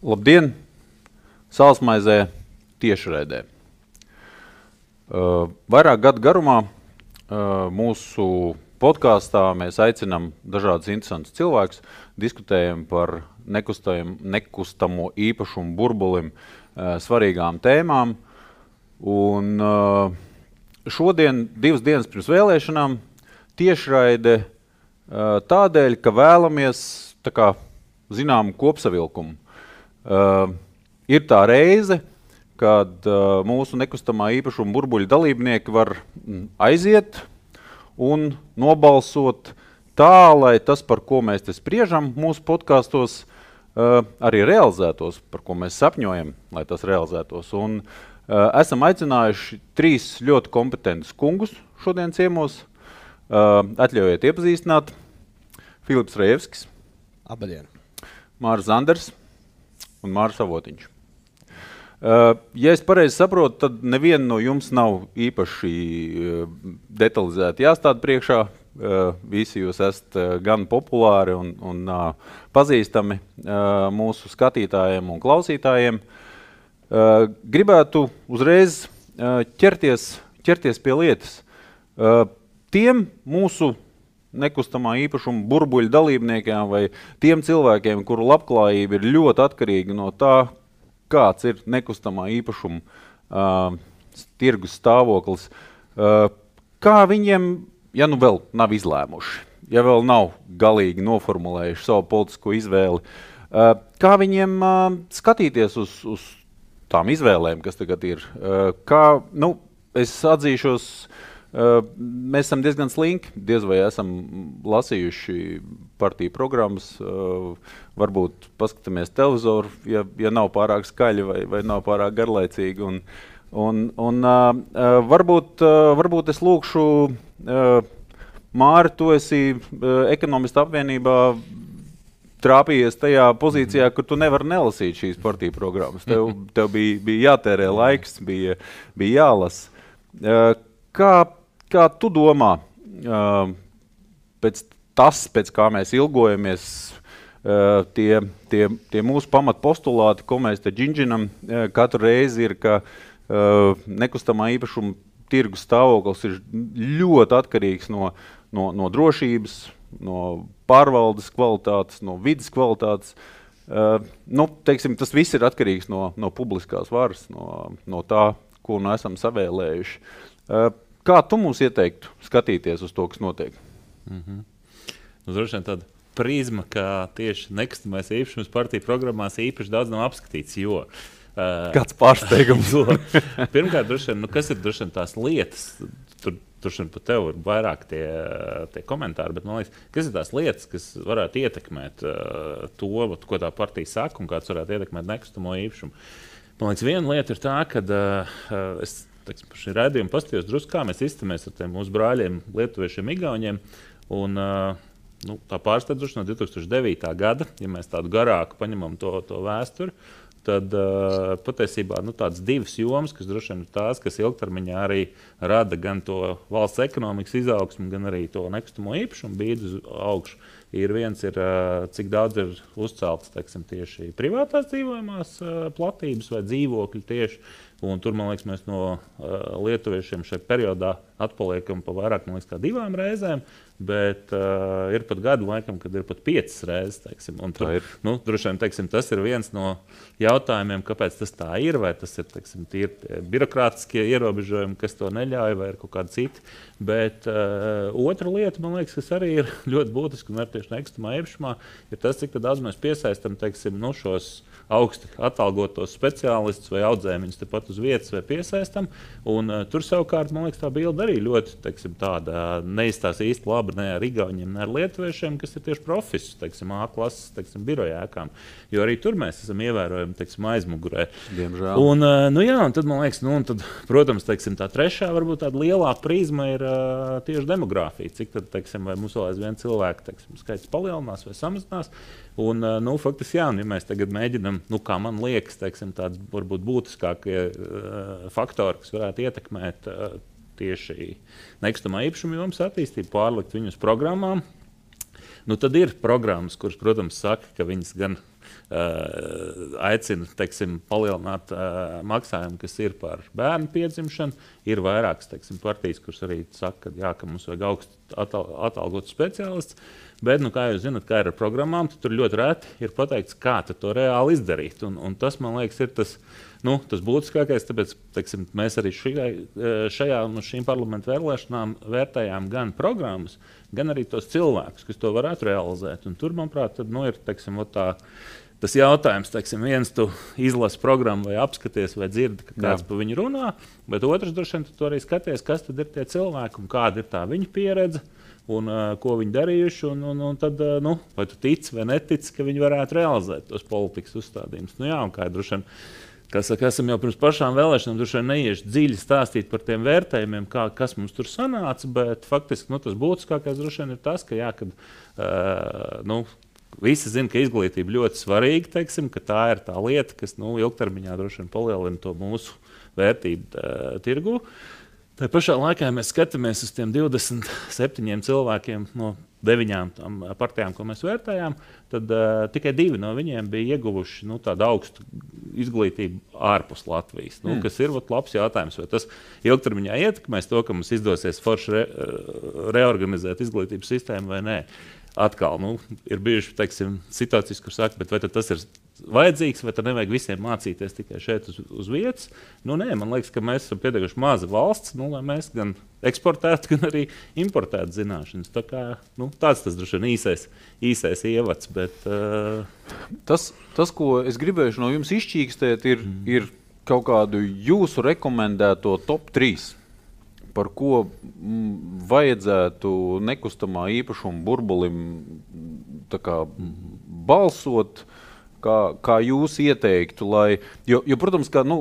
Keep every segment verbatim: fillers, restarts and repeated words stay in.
Labdien! Sālsmaizē tiešraidē. Uh, vairāk gadu garumā uh, mūsu podkāstā mēs aicinām dažādus interesantus cilvēkus, diskutējam par nekustamo īpašumu burbulim uh, svarīgām tēmām. Un uh, šodien, divas dienas pirms vēlēšanām, tiešraide uh, tādēļ, ka vēlamies tā kā zinām kopsavilkumu. Uh, ir tā reize, kad uh, mūsu nekustamā īpašuma burbuļu dalībnieki var aiziet un nobalsot tā, lai tas, par ko mēs te spriežam mūsu podkāstos, uh, arī realizētos, par ko mēs sapņojam, lai tas realizētos. Un uh, esam aicinājuši trīs ļoti kompetentus kungus šodien ciemos. Uh, atļaujiet iepazīstināt. Filips Rejevskis. Abadien. Mārs Zanders un Mārs Avotiņš. Uh, ja es pareizi saprotu, tad neviena no jums nav īpaši uh, detalizēti jāstāda priekšā. Uh, visi jūs esat uh, gan populāri un, un uh, pazīstami uh, mūsu skatītājiem un klausītājiem. Uh, gribētu uzreiz uh, ķerties, ķerties pie lietas. Uh, tiem mūsu nekustamā īpašuma burbuļu dalībniekiem vai tiem cilvēkiem, kuru labklājība ir ļoti atkarīga no tā, kāds ir nekustamā īpašuma uh, tirgus stāvoklis, uh, kā viņiem, ja nu vēl nav izlēmuši, ja vēl nav galīgi noformulējuši savu politisko izvēli, uh, kā viņiem uh, skatīties uz, uz tām izvēlēm, kas tagad ir. Uh, kā, nu, es atzīšos, Uh, mēs esam diezgan slinki, diez vai esam lasījuši partiju programmas, uh, varbūt paskatāmies televizoru, ja, ja nav pārāk skaļi vai, vai nav pārāk garlaicīgi. Un, un, un uh, uh, varbūt, uh, varbūt es lūkšu, uh, Māri, tu esi uh, ekonomista apvienībā trāpījies tajā pozīcijā, kur tu nevari nelasīt šīs partiju programmas. Tev, tev bija, bija jātērē laiks, bija, bija jālasa. Uh, kā Kā tu domā, uh, pēc tas, pēc kā mēs ilgojamies, uh, tie, tie, tie mūsu pamatpostulāti, ko mēs te džinžinam, uh, katru reizi ir, ka uh, nekustamā īpašuma tirgus stāvoklis ir ļoti atkarīgs no, no, no drošības, no pārvaldes kvalitātes, no vidas kvalitātes. Uh, nu, teiksim, tas viss ir atkarīgs no, no publiskās varas, no, no tā, ko nu esam savēlējuši. Uh, Kā tu mums ieteiktu skatīties uz to, kas notiek? Mm-hmm. Nu, droši vien tāda prizma, ka tieši nekustamais īpašums partiju programmās īpaši daudz nav apskatīts, jo... Uh, Kāds pārsteigums? Pirmkārt, droši vien, nu, kas ir droši vien tās lietas? Tur droši vien pat tev ir vairāk tie, tie komentāri, bet man liekas, kas ir tās lietas, kas varētu ietekmēt uh, to, ko tā partija saka un kāds varētu ietekmēt nekustamo īpašumu? Man liekas, viena lieta ir tā, ka uh, es Teiksim, par šī raidījuma pastījos drusku, kā mēs izstamies ar tiem mūsu brāļiem, lietuviešiem, igauņiem. Un, uh, nu, tā pārsteidzoši no divi tūkstoši devītā gada, ja mēs tādu garāku paņemam to, to vēsturi, tad uh, patiesībā nu, tādas divas jomas, kas droši vien ir tās, kas ilgtermiņā arī rada gan to valsts ekonomikas izaugsmu, gan arī to nekustamo īpašumu bīdu uz augšu. Ir viens, ir, cik daudz ir uzceltas teiksim, tieši privātās dzīvojamās platības vai dzīvokļi tieši. Un tur, man liekas, mēs no uh, lietuviešiem šajā periodā atpaliekam pa vairāk, man liekas, kā divām reizēm, bet uh, ir pat gadu laikam, kad ir pat piecas reizes, teiksim. Un tur, nu, droši vien, teiksim, tas ir viens no jautājumiem, kāpēc tas tā ir, vai tas ir, teiksim, tīri birokrātiskie ierobežojumi, kas to neļauj, vai ir kaut kādi citi. Bet uh, otra lieta, man liekas, kas arī ir ļoti būtiski un arī tieši nekustamā īpašumā, ir tas, cik daudz mēs piesaistam, teiksim, nu, šos augsti atalgotos speciālistus vai audzēmiņus tepat uz vietas vai piesaistam. Un, uh, tur savukārt, man liekas, tā bilde arī ļoti teiksim, tāda neizstās īsti labi ne ar igauņiem, ne ar lietuviešiem, kas ir tieši profesis, teiksim, A klases, teiksim, birojēkām. Jo arī tur mēs esam ievērojami, teiksim, aizmugurē. Diemžēl. Un, uh, nu jā, un tad, man liekas, nu, un tad, protams, teiksim, tā trešā, varbūt tāda lielā prizma ir uh, tieši demogrāfija. Cik tad, teiksim, vai mums vēl aizvien cilvēku, teiksim, skaits palielinās vai samazinās. Un, nu, faktiski, jā, un, ja mēs tagad mēģinam, nu, kā man liekas, teiksim, tāds varbūt būtiskākie uh, faktori, kas varētu ietekmēt uh, tieši nekustamā īpašuma jomas attīstību, pārlikt viņus programmām, nu, tad ir programmas, kuras, protams, saka, ka viņas gan uh, aicina, teiksim, palielināt uh, maksājumu, kas ir par bērnu piedzimšanu. Ir vairākas, teiksim, partijas, kuras arī saka, ka, jā, ka mums vajag augstu atal, atalgotu speciālists. Bet, nu, kā jūs zināt, kā ir ar programmām, tad tur ļoti reti ir pateikts, kā to reāli izdarīt. Un, un tas, man liekas, ir tas, nu, tas būtiskākais. Tāpēc teiksim, mēs arī šajā, šajā no šīm parlamentu vēlēšanām vērtējām gan programmas, gan arī tos cilvēkus, kas to varētu realizēt. Un tur, manuprāt, tad, nu, ir teiksim, tā, tas jautājums, teiksim, viens tu izlasi programmu vai apskaties vai dzirdi, ka kāds Jā. Pa viņu runā, bet otrs droši vien tu arī skaties, kas tad ir tie cilvēki un kāda ir tā viņa pieredze. Un, uh, ko viņi darījuši, un, un, un tad, uh, nu, vai tu tici vai netici, ka viņi varētu realizēt tos politikas uzstādījumus. Nu, jā, un kā droši vien, kā saka, esam jau pirms pašām vēlēšanām, droši vien neieši dziļi stāstīt par tiem vērtējumiem, kā, kas mums tur sanāca, bet faktiski nu, tas būtiskākais droši vien ir tas, ka, jā, kad, uh, nu, visi zina, ka izglītība ļoti svarīga, teiksim, ka tā ir tā lieta, kas nu, ilgtermiņā droši vien palielina to mūsu vērtību uh, tirgu. Tā pašā laikā mēs skatāmies uz tiem divdesmit septiņiem cilvēkiem no deviņām tām partijām, ko mēs vērtējām, tad uh, tikai divi no viņiem bija ieguvuši nu, tādu augstu izglītību ārpus Latvijas. Nu, mm. Kas ir vat, labs jautājums, vai tas ilgtermiņā ietekmēs to, ka mums izdosies forši re, reorganizēt izglītības sistēmu vai nē. Atkal nu, ir bijuši teiksim, situācijas, kur saka, bet vai tas ir vajadzīgs, vai tad nevajag visiem mācīties tikai šeit uz, uz vietas. Nu, nē, man liekas, ka mēs esam pietiekuši maza valsts, nu, lai mēs gan eksportētu, gan arī importētu zināšanas. Tā kā, nu, tāds tas droši vien īsais, īsais ievads. Bet, uh... tas, tas, ko es gribēju no jums izšķīkstēt, ir, mm. ir kaut kādu jūsu rekomendēto top trīs. Par ko m, vajadzētu nekustamā īpašuma burbulim tā kā, balsot, kā, kā jūs ieteiktu, lai, jo, jo protams, ka nu,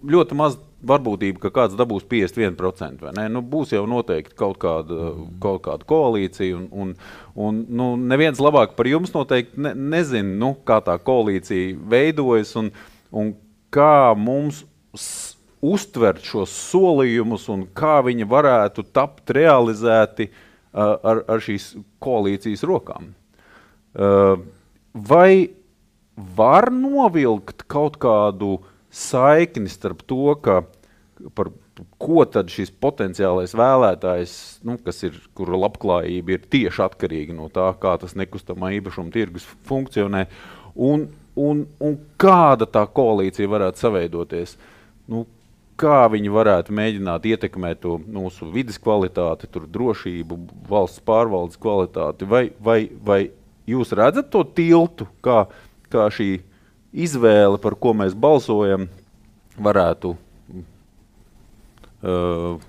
ļoti maz varbūtība, ka kāds dabūs piecdesmit viens procents, vai ne? Nu, būs jau noteikti kaut kāda, kaut kāda koalīcija, un, un, un nu, neviens labāk par jums noteikti ne, nezin, nu, kā tā koalīcija veidojas, un, un kā mums uztvert šos solījumus un kā viņi varētu tapt realizēti uh, ar, ar šīs koalīcijas rokām. Uh, vai var novilkt kaut kādu saikni starp to, ka par ko tad šis potenciālais vēlētājs, nu, kas ir, kura labklājība ir tieši atkarīga no tā, kā tas nekustamā īpašuma tirgus funkcionē, un, un, un kāda tā koalīcija varētu saveidoties? Nu, kā viņi varētu mēģināt ietekmēt to mūsu vides kvalitāti, tur drošību, valsts pārvaldes kvalitāti, vai, vai, vai jūs redzat to tiltu, kā, kā šī izvēle, par ko mēs balsojam, varētu uh,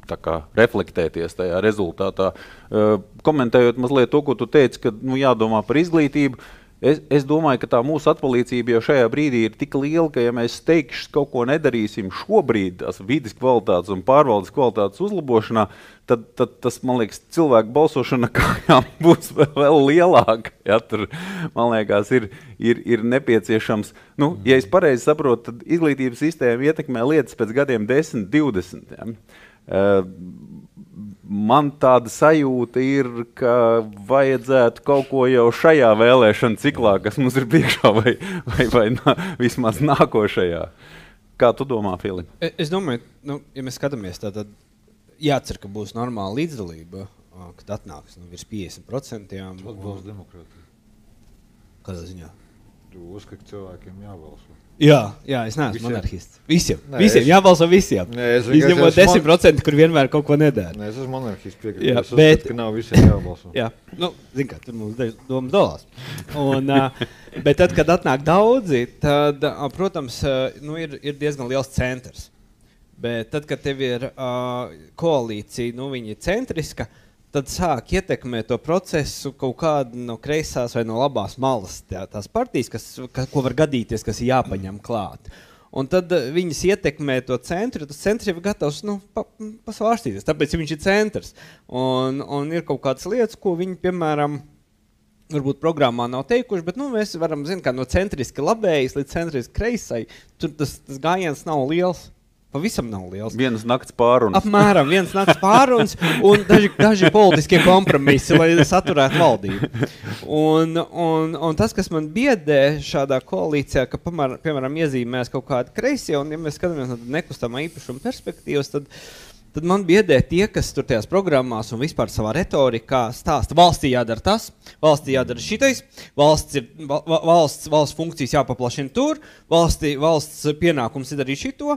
tā kā reflektēties tajā rezultātā. Uh, komentējot mazliet to, ko tu teici, ka nu, jādomā par izglītību, Es, es domāju, ka tā mūsu atpalīdzība jau šajā brīdī ir tik liela, ka ja mēs steigšs kaut ko nedarīsim šobrīd tās vides kvalitātes un pārvaldes kvalitātes uzlabošanā, tad, tad tas, man liekas, cilvēku balsošana kājām būs vēl lielāka. Ja, tur, man liekas, ir, ir, ir nepieciešams, nu, ja es pareizi saprotu, tad izglītības sistēma ietekmē lietas pēc gadiem desmit, divdesmit. Ja. Uh, Man tāda sajūta ir, ka vajadzētu kaut ko jau šajā vēlēšana ciklā, kas mums ir priekšā, vai, vai, vai nā, vismaz nākošajā. Kā tu domā, Filip? Es domāju, nu, ja mēs skatāmies, tad jācer, ka būs normāla līdzdalība, kad atnāks nu, virs piecdesmit procenti. Atbalsts demokrātija. Kādā ziņā? Tu uzskati, cilvēkiem jābalso. Jā, jā, es neesmu Visiem? monarhists. Visiem, Nē, visiem, es... jābalso visiem. Nē, es izņemot desmit procenti, kur vienmēr kaut ko nedara. Nē, es esmu monarhists piekrīt. Jā, es uzskatu, bet... ka nav visiem jābalso. Jā, nu, zin kā, tur mums domas dalās. Un, uh, bet tad, kad atnāk daudzi, tad, uh, protams, uh, nu, ir, ir diezgan liels centrs. Bet tad, kad tev ir uh, koalīcija, nu, viņa ir centriska, tad sāk ietekmēt to procesu kaut kāda no kreisās vai no labās malas tā, tās partijas, kas, ka, ko var gadīties, kas ir jāpaņem klāt. Un tad uh, viņas ietekmē to centru, tas centrs jau ir gatavs nu, pa, pasvārstīties, tāpēc viņš ir centrs. Un, un ir kaut kādas lietas, ko viņi, piemēram, varbūt programmā nav teikuši, bet nu, mēs varam zināt, kā no centriski labējas līdz centriski kreisai, tur tas, tas gājiens nav liels. pavisam nav liels. Vienas nakts pārunas. Apmēram viens nakts pārunas un daži, daži politiskie kompromisi, lai saturētu valdību. Un, un, un tas, kas man biedē šādā koalīcijā, ka, pamēram, piemēram, iezīmēs kaut kādi kreisie, un ja mēs skatāmies no nekustamā īpašuma perspektīvas, tad Tad man biedē tie, kas tur tajās programmās un vispār savā retorikā stāsta, valstī jādara tas, valstī jādara šitais, valsts, ir, valsts, valsts funkcijas jāpaplašina tur, valstī, valsts pienākums ir darīt šito,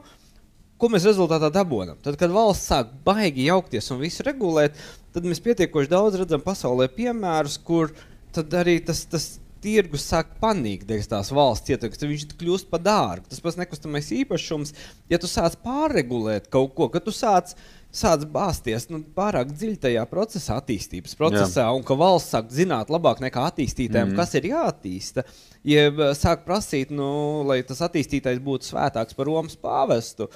ko mēs rezultātā dabonam. Tad, kad valsts sāk baigi jaukties un visu regulēt, tad mēs pietiekoši daudz redzam pasaulē piemērus, kur tad arī tas, tas tirgus sāk panīkt dēļ tās valsts ietekmes, tad viņš kļūst pa dārgu. Tas pats nekustamais īpašums, ja tu sāc pārregulēt kaut ko, ka tu sāc, sāc bāsties nu, pārāk dziļi tajā procesā, attīstības procesā, Jā. Un ka valsts sāk zināt labāk nekā attīstītājiem, mm. kas ir jāattīsta, ja sāk prasīt, nu, lai tas attīstītājs būtu svētāks par Romas pāvestu,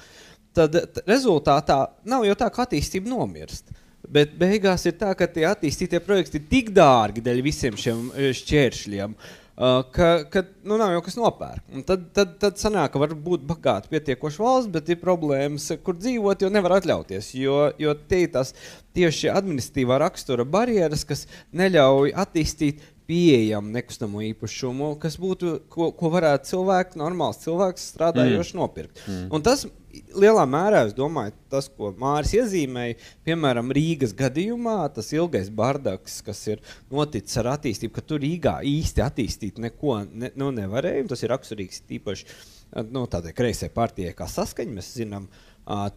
tad t- rezultātā nav jau tā, ka attīstība nomirst. Bet beigās ir tā, ka tie attīstītie projekti ir tik dārgi dēļ visiem šiem šķēršļiem, ka, ka nu, nav jau kas nopērk. Un tad, tad, tad sanāk, ka var būt bagāti pietiekoši valsts, bet ir problēmas, kur dzīvot, jo nevar atļauties. Jo, jo tie tās tieši administratīvā rakstura barjeras, kas neļauj attīstīt pieejamu nekustamo īpašumu, kas būtu, ko, ko varētu cilvēki, normāls cilvēks strādājoši mm. nopirkt. Mm. Un tas lielā mērā, es domāju, tas, ko Māris iezīmēja, piemēram, Rīgas gadījumā, tas ilgais bardaks, kas ir noticis ar attīstību, ka tur Rīgā īsti attīstīt neko ne, nu, nevarēja, tas ir raksturīgs tīpaši nu, tādai kreisai partijai kā Saskaņa, mēs zinām,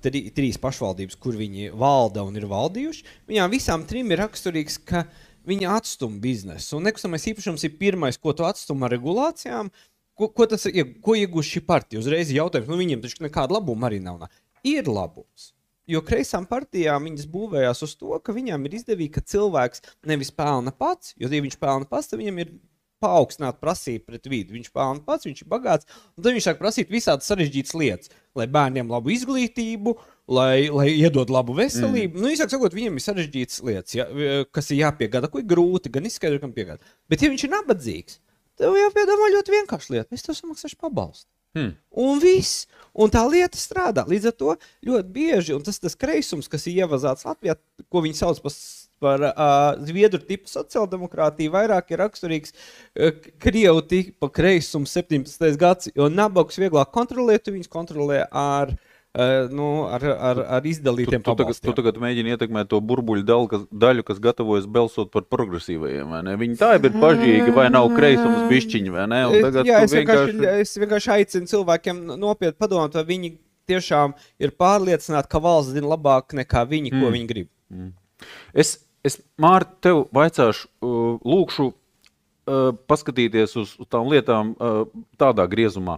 tri, trīs pašvaldības, kur viņi valda un ir valdījuši, viņām visām trim ir raksturīgs, ka viņi atstum biznesu. Un nekustamais īpašums ir pirmais, ko tu atstum ar regulācijām, ko, ko tas ir, ko iegūst šī partija. Uzreiz jautājums, nu viņiem taču nekāda labuma arī nav. Ir labums. Jo kreisām partijām viņas būvējās uz to, ka viņām ir izdevīgi, ka cilvēks nevis pelna pats, jo ja viņš pelna pats, tad viņam ir paaugstināt prasīt pret vidi. Viņš pelna pats, viņš ir bagāts, un tad viņš sāk prasīt visādas sarežģītas lietas, lai bērniem labu izglītību, lai, lai iedod labu veselību. Mm. Nu, īsāk sakot, viņiem ir sarežģītas lietas, ja, kas ir jāpiegāda, ko ir grūti, gan izskaidro, kam piegāda. Bet ja viņš ir nabadzīgs, tev jāpiedomā ļoti vienkārši lieta. Es tev samaksāšu pabalstu. Hmm. Un viss. Un tā lieta strādā. Līdz ar to ļoti bieži, un tas tas kreisums, kas ir ievazāts Latvijā, ko viņi sauc par par uh, zviedru tipu sociāldemokrātiju, vairāk ir raksturīgs uh, Krievu tipa kreisums septiņpadsmitais gads, jo nabagus vieglāk kontrolēt, viņus kontrolē ar, uh, nu, ar, ar, ar izdalītiem tu, tu, pabalstiem. Tu, tu tagad mēģini ietekmēt to burbuļu daļu, kas, daļu, kas gatavojas balsot par progresīvajiem, vai ne? Viņi tā ir pažīgi, vai nav kreisums bišķiņi, vai ne? Un tagad Jā, es vienkārši... vienkārši, es vienkārši aicinu cilvēkiem nopietni padomāt, vai viņi tiešām ir pārliecināti, ka valsts zina labāk nekā viņi, ko mm. viņi grib. Mm. Es Es, Mārta, tev vaicāšu, uh, lūkšu uh, paskatīties uz, uz tām lietām uh, tādā griezumā.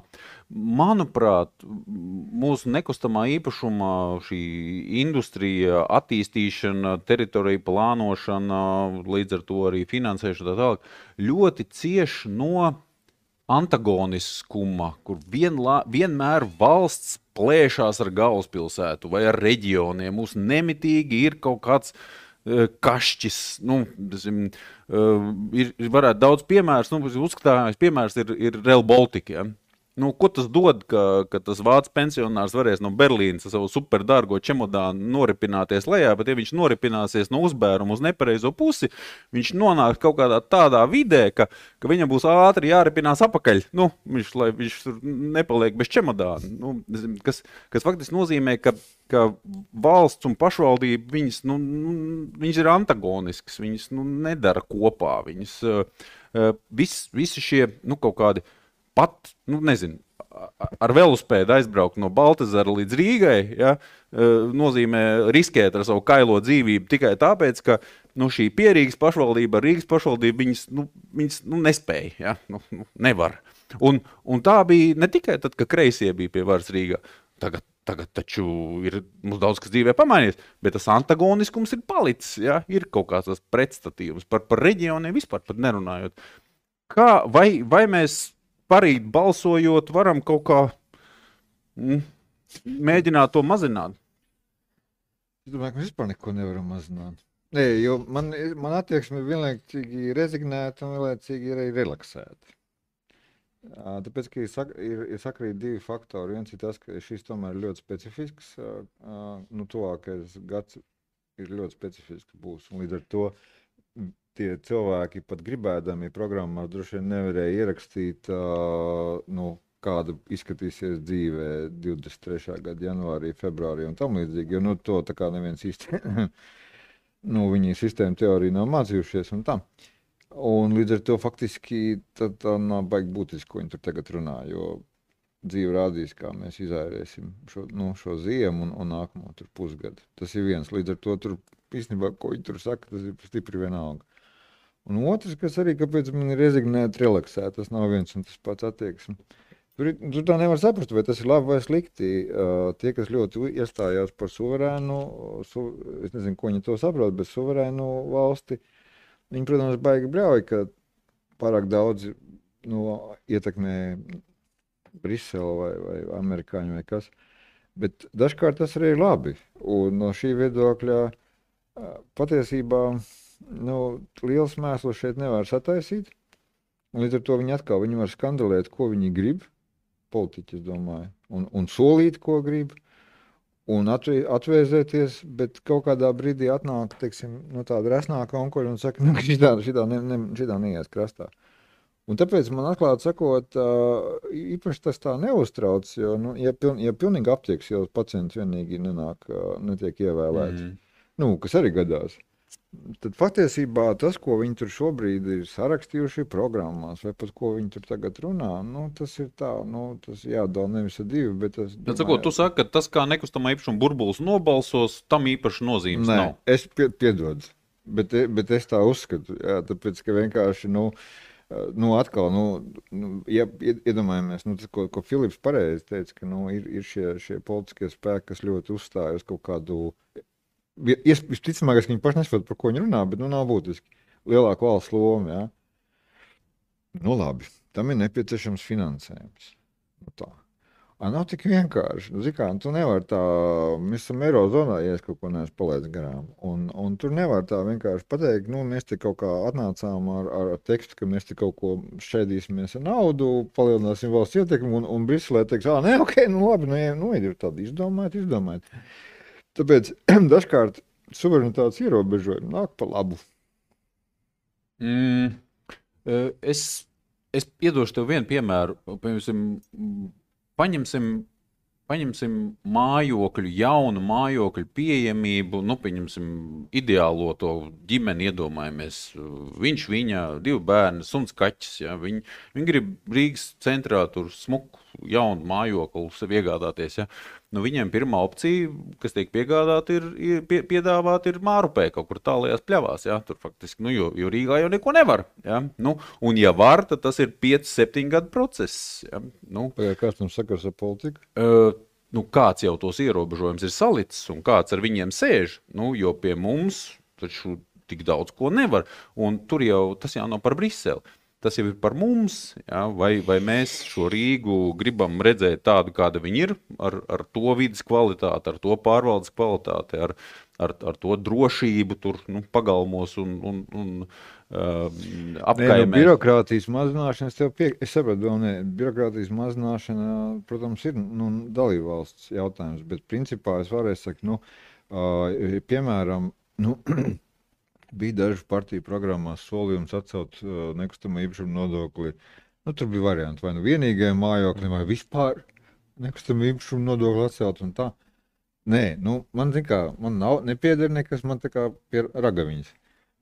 Manuprāt, mūsu nekustamā īpašumā šī industrija, attīstīšana, teritorija plānošana, līdz ar to arī finansēšana tā tālāk, ļoti cieši no antagoniskuma, kur vienlā, vienmēr valsts plēšās ar galvaspilsētu vai ar reģioniem. Mums nemitīgi ir kaut kāds kašķis, nu, zin, ir, varētu daudz piemērs, nu, uzskatāmais piemērs ir, ir Rail Baltica, ja? Nu, ko tas dod, ka, ka tas vācu pensionārs varēs no Berlīnas ar savu superdārgo čemodānu noripināties lejā, bet ja viņš noripināsies no uzbēruma uz nepareizo pusi, viņš nonāk kaut kādā tādā vidē, ka, ka viņam būs ātri jāripinās apakaļ, nu, viņš, lai viņš nepaliek bez čemodāna, nu, kas, kas faktiski nozīmē, ka, ka valsts un pašvaldība, viņas, nu, viņas ir antagoniskas, viņas nu, nedara kopā, viņas uh, vis, visi šie, nu, kaut kādi pat, nu, nezinu, ar velospēdu aizbraukt no Baltazara līdz Rīgai, ja, nozīmē riskēt ar savu kailo dzīvību tikai tāpēc, ka nu, šī pierīgas pašvaldība, Rīgas pašvaldība, viņas, nu, viņas nu, nespēja, ja, nu, nu, nevar. Un, un tā bija ne tikai tad, ka kreisie bija pie varas Rīgā. Tagad, tagad taču ir mums daudz kas dzīvē pamainies, bet tas antagoniskums ir palicis, ja, ir kaut kāds tas pretstatījums par, par reģioniem vispār pat nerunājot. Kā, vai, vai mēs parīt balsojot, varam kaut kā mm, mēģināt to mazināt? Es domāju, ka mēs vispār neko nevaram mazināt. Nē, jo man, man attieksme vienlaicīgi rezignēta un vienlaicīgi ir relaksēta. Tāpēc, ka ir, sak, ir, ir sakrīt divi faktori. Viens ir tas, ka šis tomēr ir ļoti specifisks, nu, tuvākais gads ir ļoti specifisks būs. Un līdz ar to tie cilvēki pat gribēdami programmā droši vien nevarēja ierakstīt, nu, kāda izskatīsies dzīvē divdesmit trešā gada janvārī, februārī un tam līdzīgi, jo nu, to tā kā neviens īsti, nu, viņi sistēma teorija nav mācījušies un tam. Un līdz ar to faktiski tā, tā nav baigi būtiski, ko viņi tur tagad runā, jo dzīve rādīs, kā mēs izērēsim šo, nu, šo ziemu un, un nākamo tur pusgadu. Tas ir viens. Līdz ar to tur īstenībā, ko viņi tur saka, tas ir stipri vienalga. Un otrs, kas arī, kāpēc man ir rezignēt, relaksēt, tas nav viens un tas pats attieksmi. Tur, tur tā nevar saprast, vai tas ir labi vai slikti. Uh, tie, kas ļoti iestājās par suverēnu, su, es nezinu, ko viņi to saprot, bet suverēnu valsti, viņi, protams, baigi bļauj, ka pārāk daudz nu, ietekmē Brisele vai, vai amerikāņi vai kas. Bet dažkārt tas arī ir labi. Un no šī viedokļa patiesībā nu, liels mēsls šeit nevar sataisīt. Un līdz ar to viņi atkal viņi var skandalēt, ko viņi grib, politiķi, es domāju, un, un solīt, ko grib, un atvē, atvēzēties, bet kaut kādā brīdī atnāk, teiksim, no tāda resnāka onkuļa un saka, nu, šitā, šitā, ne, ne, šitā neies krastā. Un tāpēc man atklāti sakot, īpaši tas tā neuztrauc, jo, nu, ja, piln, ja pilnīgi aptieks, jau pacients vienīgi nenāk, netiek ievēlēts, mm. nu, kas arī gadās, tad patiesībā tas, ko viņi tur šobrīd ir sarakstījuši programmās, vai pat ko viņi tur tagad runā, nu, tas ir tā, nu, tas jādala nevis ar divi, bet tas... Bet, sakot, tu saki, ka tas, kā nekustamā īpašuma burbulis nobalsos, tam īpaši nozīmes Nē, nav. Es pie, piedodu, bet, bet es tā uzskatu, jā, tāpēc, ka vienkārši, nu, nu atkal, nu, nu ja iedomājamies, nu, tas, ko, ko Filips pareizi teica, ka, nu, ir, ir šie, šie politiskie spēki, kas ļoti uzstāj uz kaut kādu... Visticamāk, ka viņi paši nesaprot, par ko viņi runā, bet nu nav būtiski. Lielāka valsts loma, jā. Nu labi, tam ir nepieciešams finansējums. Nu tā. A, nav tik vienkārši. Nu, zikā, tu nevar tā, mēs esam Eirozonā, ja es kaut ko neesmu palaidis garām. Un, un tur nevar tā vienkārši pateikt, nu mēs te kaut kā atnācām ar, ar tekstu, ka mēs te kaut ko šķēdīsimies ar naudu, palielināsim valsts ietekmi un, un Briselē teiks, ā, nē, ok, nu labi, nu, nu ir tādi izdomājot, izdomājot. Tāpēc dažkārt suverenitātes ierobežojumi nāk pa labu. Mm, es, es iedošu tev vienu piemēru. Piemēram, paņemsim, paņemsim mājokļu, jaunu mājokļu pieejamību, nu, pieņemsim ideālo to ģimeni iedomājamies. Viņš, viņa, divi bērni, suns kaķis, ja, viņi, viņi grib Rīgas centrā tur smuku jaunu mājokli sev iegādāties, ja. Nu, viņiem pirmā opcija, kas tiek piegādāta, ir, ir pie, piedāvāt ir Mārupē, kaut kur tālajās pļavās, ja, tur faktiski, nu, jo, jo Rīgā jau neko nevar, ja, nu, un ja var, tad tas ir pieci septiņi gadu process, ja, nu. Pagāj, kāds tam sakars ar politiku? Uh, nu, kāds jau tos ierobežojums ir salicis un kāds ar viņiem sēž, nu, jo pie mums taču tik daudz ko nevar, un tur jau, tas jau nav par Briseli. Tas jau ir par mums, ja, vai, vai mēs šo Rīgu gribam redzēt tādu, kāda viņi ir, ar, ar to vidas kvalitāti, ar to pārvaldes kvalitāti, ar, ar, ar to drošību tur, nu, pagalmos un, un, un uh, apkaimēs. Nu, birokrātijas mazināšana, es tev pie... es sapratu, vēl ne, birokrātijas mazināšana, protams, ir nu, dalībvalsts jautājums, bet principā es varēju sakt, nu, uh, piemēram, nu, bija dažu partiju programmās solījums atcelt uh, nekustamo īpašumu nodokli. Nu, tur bija varianti, vai nu vienīgajam mājoklim, vai vispār nekustamo īpašumu nodokli atcelt un tā. Nē, nu, man, zin kā, man nav, nepieder nekas, man tā kā pie ragaviņas.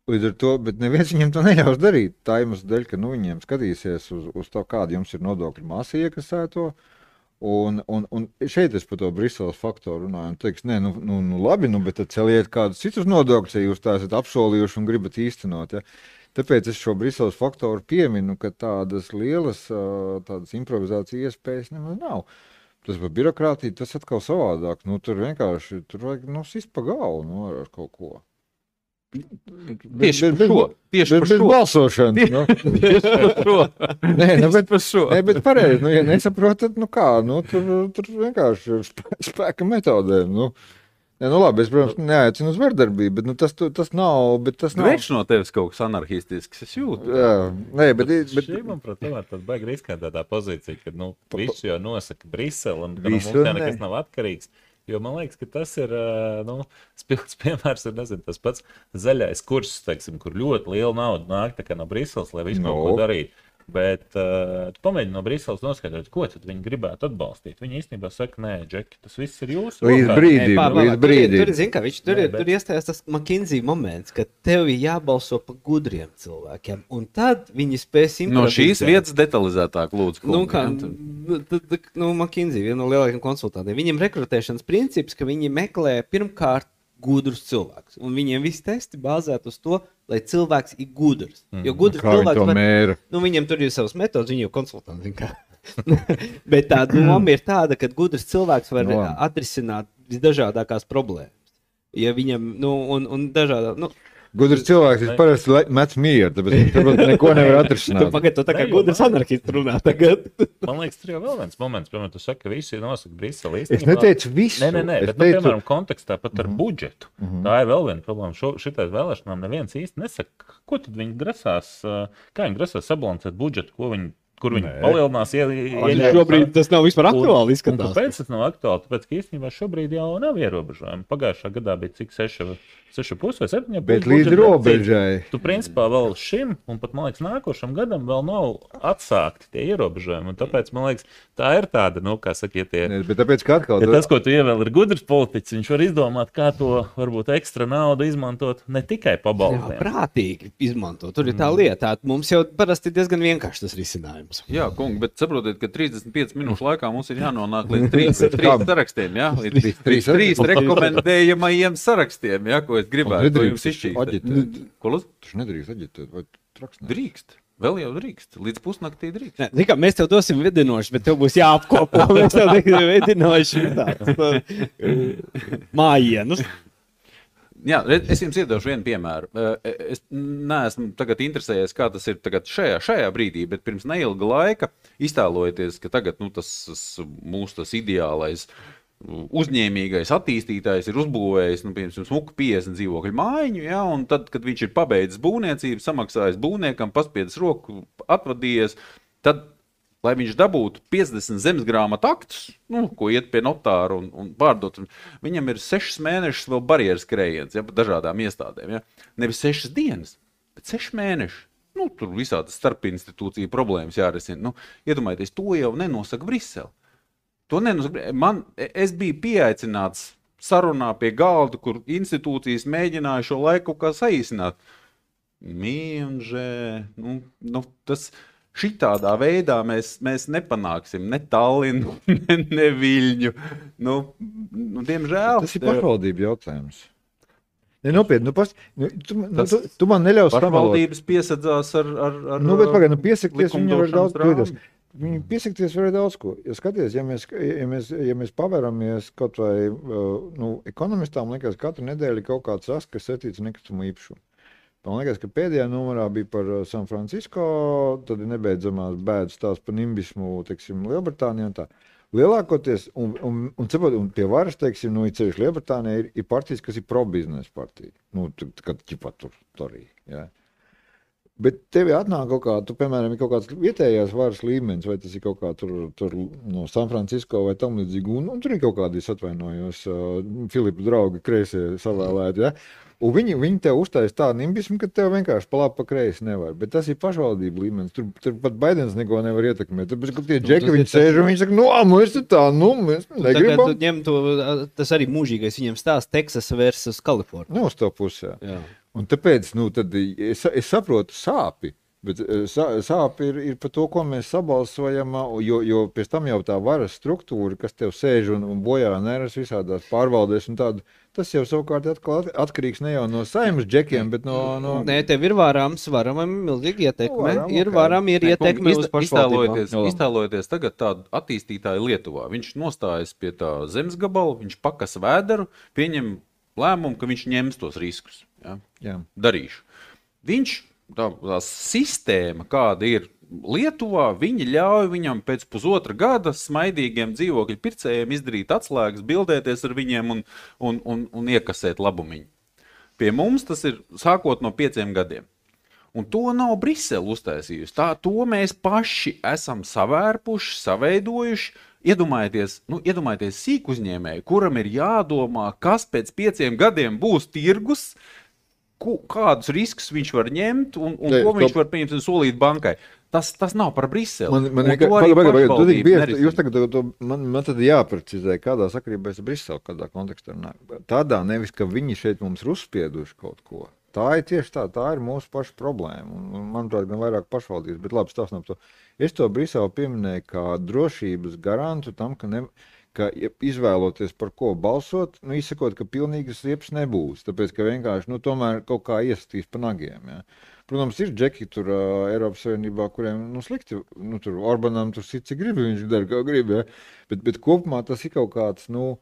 Līdz ar to, bet neviens viņiem to neļaus darīt. Tā iemesla dēļ, ka, nu, viņiem skatīsies uz, uz to, kāda jums ir nodokļu masa iekasēto. Un, un, un šeit es par to Briseles faktoru runāju un teiks, nē, nu, nu, nu labi, nu, bet tad celiet kādus citus nodokļus, ja jūs tā esat apsolījuši un gribat īstenot, ja. Tāpēc es šo Briseles faktoru pieminu, ka tādas lielas tādas improvizācijas iespējas nemaz nav. Tas par birokrātiju, tas atkal savādāk, nu, tur vienkārši, tur vajag, nu, sist pa galvu, nu, ar kaut ko. Tieši par šo. Tieši par šo. Balsošanas. Nu. Tieši par šo. Nē, nu, bet, par šo. Nē, bet pareizi, nu, ja nesaprotat, nu kā, nu, tur, tur vienkārši spē, spēka metodēm, nu. Jā, nu labi, es, protams, neaicinu uz vardarbību, bet nu, tas, tas nav, bet tas nav. Viņš no tevis kaut kas anarchistisks, es jūtu. Jā, nē, bet... bet... Šī, manuprāt, tomēr tad baigi riskantā tā pozīcija, ka, nu, visu jau nosaka Brisele, un ka nu, mums Visu, jau nekas ne. nav atkarīgs. Jo man liekas, ka tas ir, nu, spilgts piemērs, ir, nezinu, tas pats zaļais kurs, teiksim, kur ļoti liela nauda nāk tā kā no Briseles, lai visu No. kaut ko darītu. Bet uh, tu pamēģini no Briseles noskaidrot, ko tad viņi gribētu atbalstīt. Viņi īstenībā saka, nē, Džeki, tas viss ir jūsu Līdz rokās. brīdim, Pā, pā, līdz pā, brīdim. Tur, tur, zin, kā, viņš, tur, Nē, ir, bet- tur iestājās tas McKinsey moments, ka tev ir jābalso par gudriem cilvēkiem, un tad viņi spēs No šīs improvizēt. vietas detalizētāk lūdzu. Nu, kungi, kā, ja, tad- nu, tad, tad, nu, McKinsey, viena no lielākajiem konsultantiem. Viņam rekrutēšanas princips, ka viņi meklē pirmkārt gudrus cilvēkus. Un viņiem visi testi bāzēt uz to, lai cilvēks ir gudrs. Jo gudrs Kā viņi cilvēks to var, mēra? nu, viņiem tur ir savas metodas, viņi jau konsultanti. zin kā. Bet tā doma ir tāda, ka gudrs cilvēks var Nu, no. labi. atrisināt visdažādākās problēmas. Ja viņam, nu, un, un dažādā, nu, Gudrs cilvēks, viņš parasti le- met mieru, tāpēc viņš tāpēc neko nevar tu atrisināt. pagaid, tu tā kā Ne, jo gudrs man- anarchists runā tagad. Man liekas, tur jau vēl viens moments, piemēram, tu saki, ka visi nosaka Brisele. Es neteicu visu. Nē, nē, nē, Es bet, nu, teicu- piemēram, kontekstā pat ar budžetu. Tā ir vēl viena problēma. Šo, šitais vēlēšanām neviens īsti nesaka, ko tad viņi grasās, ā, kā viņi grasās sabalansēt budžetu, ko viņi, kur viņi Nē. palielinās. Ie, ie, Šobrīd tas nav vispār Un- aktuāli un izskatās. Kāpēc tas nav aktuāli? Tāpēc, ka īstenībā šobrīd jau nav ierobežojumi. Pagājušā gadā bija cik seši, seši pus vai septiņi. Bet līdz robežai. Tu principā vēl šim, un pat, man liekas, nākošam gadam vēl nav atsākti tie ierobežojumi. Un tāpēc, man liekas, tā ir tāda, nu, kā saka, ja tie. Nē, Bet tāpēc, ka atkal... Ja tas, ko tu ievēl, ir gudrs politiķis, viņš var izdomāt, kā to varbūt ekstra naudu izmantot ne tikai Jā, pabalstiem. prātīgi izmanto. Tur ir tā lieta. Tā, mums jau parasti ir diezgan vienkārši tas risinājums. Jā, kungi, bet saprotiet, ka trīsdesmit piecas minūšu laikā mums ir jānonāk līdz trīs, trīs sarakstiem, jā? Līdz trīs, trīs, trīs rekomendējamajiem sarakstiem, jā, ko es gribētu to jums izšķīt. Aģitēt. Ko lūdzu? Tu nedrīkst aģitēt, vai traks ne? Drīkst. Vēl jau drīkst. Līdz pusnaktī drīkst. Nē, zini kā, mēs tev dosim vedinošu, bet tev būs jāapkopo. Mēs tev dosim vedinošu mājienus. Jā, re- es jums iedošu vienu piemēru. Eh, Es neesmu tagad interesējies, kā tas ir tagad šajā, šajā brīdī, bet pirms neilga laika iztēlojieties, ka tagad nu, tas, tas mūsu tas ideālais uzņēmīgais attīstītājs ir uzbūvējis, nu, piemēram, smuku piecdesmit dzīvokļu mājiņu, ja, un tad, kad viņš ir pabeidzis būvniecību, samaksājis būvniekam, paspiedis roku, atvadījies, tad, lai viņš dabūtu piecdesmit zemesgrāmatu aktus, nu, ko iet pie notāra un, un pārdot, viņam ir sešas mēnešus vēl barjeras skrējiens, ja, pa dažādām iestādēm, ja. Nevis sešas dienas, bet seši mēneši. Nu, tur visādas starpinstitūciju problēmas jārisina. Nu, iedomājieties, to jau nenosaka Brisele. To nenosaka. Man, es biju pieaicināts sarunā pie galda, kur institūcijas mēģināja šo laiku kā saīsināt. Mīnžē, nu, nu, tas šitādā veidā mēs, mēs nepanāksim ne Tallinu, ne, ne Viļņu. Nu, nu, diemžēl. Tas ir pašvaldību jautājums. Ne, nopietni, nu, pas, nu, tu, nu, Tas tu, tu man neļaus samalot. Pašvaldības piesadzās ar, ar, ar Nu, bet pagaid, nu, piesakties viņi var daudz likumdošanas kļūdās. rāmi. Viņi piesakties var daudz ko. Ja skaties, ja mēs, ja mēs, ja mēs paveramies kaut vai, uh, nu, ekonomistām liekas, katru nedēļu ir kaut kāds ras, kas saistīts ar nekustamo īpašumu. Man liekas, ka pēdējā numurā bija par uh, San Francisco, tad ir nebeidzamās bēdas tās par nimbismu, teiksim, Lielbritānijā un tā. Lielākoties, un, un, un, un, un pie varas, teiksim, nu, ir ceļš Lielbritānijā, ir, ir partijas, kas ir pro-biznesa partija. Nu, kad ķipa tur, tur arī, jā. Bet tev atnāk kaut kā, tu, piemēram, ir kaut kāds vietējās varas līmenis, vai tas ir kaut kā tur, tur no San Francisco vai tam līdzīgi, un, un tur ir kaut kādi, es atvainojos, uh, Filipa draugi kreisie savēlēti, ja? Un viņi, viņi tev uztais tādu nimbismu, ka tev vienkārši pa labi pa kreisi nevar. Bet tas ir pašvaldību līmenis. Tur, tur pat Baidens neko nevar ietekmēt. Tāpēc, ka tie džeki, tas viņi ir sēž un viņi saka, nu, mēs tur tā, nu, mēs Tagad negribam. tu ņem to, tas arī mūžīgais viņam stāsts Teksas versus Kalifornija. Nu, uz to pusē. Jā. Un tāpēc, nu, tad es, es saprotu sāpi. Bet eh, sā- sāp ir, ir par to, ko mēs sabalsojam, jo, jo pēc tam jau tā varas struktūra, kas tev sēž un, un bojā neras visādās pārvaldēs un tādu, tas jau savukārt atkal at- atkarīgs ne jau no saimnes džekiem, bet no... no... Nē, tev ir vārāms, varamam milzīgi ietekme. Varam, Ir ok. varam, ir Nē, ietekme kungi, uz iztē- pašvaldībām. iztēlojieties, iztēlojieties tagad tādu attīstītāju Lietuvā. Viņš nostājas pie tā zemes gabala, viņš pakas vēderu, pieņem lēmumu, ka viņš ņems tos riskus. Ja? Jā. Darīšu. Viņš, tā, tā sistēma, kāda ir Lietuvā viņi ļauj viņam pēc pusotra gada smaidīgiem dzīvokļu pircējiem izdarīt atslēgas, bildēties ar viņiem un, un, un, un iekasēt labumiņu. Pie mums tas ir sākot no pieciem gadiem. Un to nav Brisele uztaisījusi. Tā, to mēs paši esam savērpuši, saveidojuši. Iedomājieties, nu, iedomājieties sīk uzņēmēju, kuram ir jādomā, kas pēc pieciem gadiem būs tirgus, ku, kādus riskus viņš var ņemt un, un Jē, ko viņš top. var pieņemt un solīt bankai. Tas, tas nav par Briseli. Man, man, man, baga, baga, baga, tu bieži, jūs tagad, to, man, man tad jāprecizē, kādā sakarībā es Briseli, kādā kontekstā. Tādā nevis, ka viņi šeit mums ir uzspieduši kaut ko. Tā ir tieši tā, tā ir mūsu paša problēma. Un, un, manuprāt, gan vairāk pašvaldības, bet labi, stāstam to. Es to Briseli pieminēju kā drošības garantu tam, ka, ne, ka izvēloties par ko balsot, nu, izsakot, ka pilnīgas riepas nebūs. Tāpēc, ka vienkārši, nu, tomēr kaut kā iesatīs pa nagiem, ja. Protams, ir džeki tur uh, Eiropas Savienībā, kuriem, nu, slikti, nu, tur Orbanam tur sit, cik grib, viņš dara, kā grib, ja. Bet, bet kopumā tas ir kaut kāds, nu,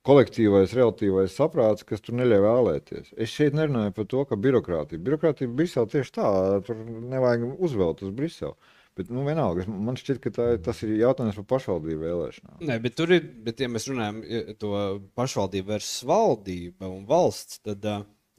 kolektīvais, relatīvais saprāts, kas tur neļauj vēlēties. Es šeit nerunāju par to, ka birokrātija. Birokrātija Brisele tieši tā, tur nevajag uzvelt uz Briseli. Bet, nu, vienalga, man šķiet, ka tā, tas ir jautājums par pašvaldību vēlēšanām. Nē, bet tur ir, bet ja mēs runājam to pašvaldību versus valdība un valsts, tad,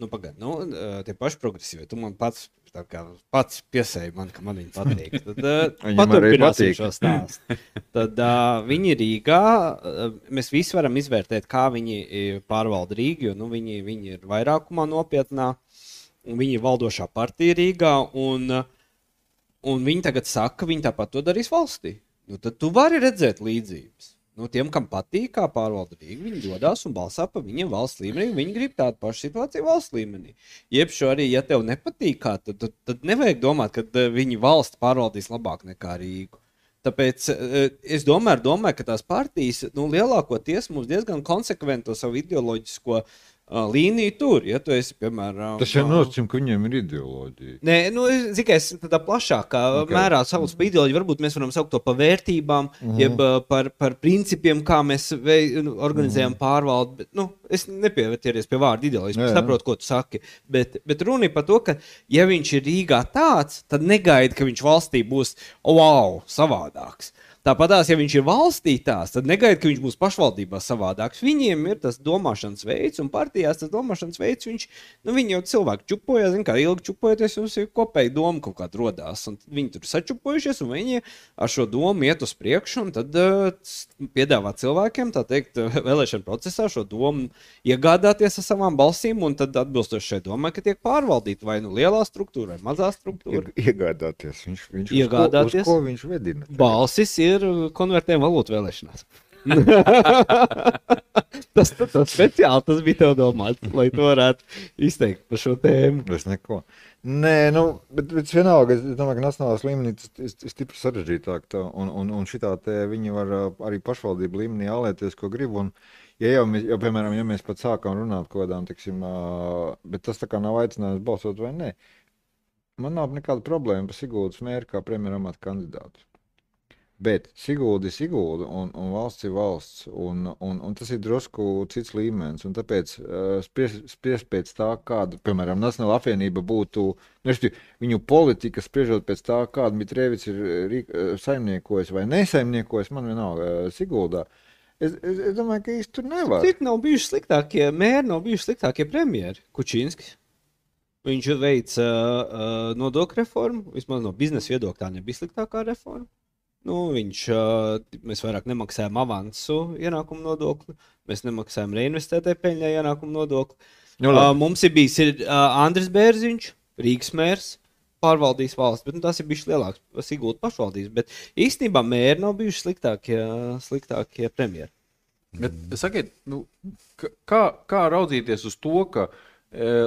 nu, pagaid, nu, tie paši progresīvi, tu man pats, tā kā pats piesēji man, ka man viņi patīk. Tad paturpināsim šo stāstu. Tad uh, viņi Rīgā, uh, mēs visi varam izvērtēt, kā viņi pārvalda Rīgu, jo, nu, viņi, viņi ir vairākumā nopietnā, un viņi ir valdošā partija Rīgā, un uh, Un viņi tagad saka, ka viņi tāpat to darīs valstī. Nu, tad tu vari redzēt līdzības. Nu, tiem, kam patīk, kā pārvalda Rīga, viņi dodās un balsā pa viņiem valsts līmenī. Viņi grib tādu pašu situāciju valsts līmenī. Iepšu arī, ja tev nepatīk, kā, tad, tad, tad nevajag domāt, ka viņi valsts pārvaldīs labāk nekā Rīgu. Tāpēc es domāju, domāju ka tās partijas nu, lielākoties mums diezgan konsekventi to savu ideoloģisko uh, līniju tur. Ja tu esi, piemēram, tas jau nosacījums, ka viņiem ir ideoloģija. Nē, nu, zikai es tādā plašākā okay. mērā sauc par ideoloģiju. Varbūt mēs varam saukt to par vērtībām, uh-huh. jeb par, par principiem, kā mēs vei, organizējam uh-huh. pārvaldi. Bet, nu, es nepievērties pie vārda ideoloģijas, es saprotu, ko tu saki. Bet, bet runa ir par to, ka ja viņš ir Rīgā tāds, tad negaida, ka viņš valstī būs wow, savādāks. Tāpatās, ja viņš ir valstī tās, tad negaida, ka viņš būs pašvaldībā savādāks. Viņiem ir tas domāšanas veids, un partijās tas domāšanas veids, viņš, nu, viņi jau cilvēki čupojas, zin, kā ilgi čupojoties, jums ir kopēji doma kaut kāda rodās, un viņi tur sačupojušies, un viņi ar šo domu iet uz priekšu, un tad uh, piedāvā cilvēkiem, tā teikt, vēlēšana procesā šo domu iegādāties ar savām balsīm, un tad atbilstoši šai domai, ka tiek pārvaldīta vai nu lielā struktūra, vai mazā struktūra. Iegādāties, viņš, viņš iegādāties. Uz ko, uz ko viņš vedina? Balsis ir konvertējuma valūtu vēlēšanās. tas, tas, tas speciāli tas bija tev domāts, lai to varētu izteikt par šo tēmu. Es neko. Nē, nu, bet, bet vienalga, es domāju, ka nacionālās līmenī tas ir stipri sarežģītāk, tā, un, un, un šitā te viņi var arī pašvaldību līmenī ālēties, ko grib, un ja jau, mēs, jau, piemēram, ja mēs pat sākām runāt kaut kādām, tiksim, bet tas tā kā nav aicinājums balsot vai nē, man nav nekāda problēma par Siguldas mēru kā premjeramata kandidātu. Bet Sigulda ir Sigulda un, un valsts ir valsts, un, un, un tas ir drusku cits līmenis, un tāpēc uh, spriest spries pēc tā, kāda, piemēram, Nacionāla apvienība būtu, nu, viņu politika spriežot pēc tā, kāda Mitrēvics ir rīk, saimniekojis vai nesaimniekojis, man vienalga uh, Siguldā. Es, es, es domāju, ka īsti tur nevar. Cik nav bijuši sliktākie mēri, nav bijuši sliktākie premjeri. Kučinskis. Viņš veica uh, nodokļu reformu, vismaz no biznesa viedokļa tā nebija sliktākā reforma. Nu, viņš, mēs vairāk nemaksājam avansu ienākumu nodokli, mēs nemaksājam reinvestētai peļņai ienākumu nodokli. Uh, mums ir bijis ir, uh, Andris Bērziņš, Rīgas mērs, pārvaldījis valsts, bet nu, tas ir bijis lielāks Sigulda pašvaldības. Bet īstenībā mēri nav bijuši sliktākie, sliktākie premjeri. Bet, sakiet, nu, kā, kā raudzīties uz to, ka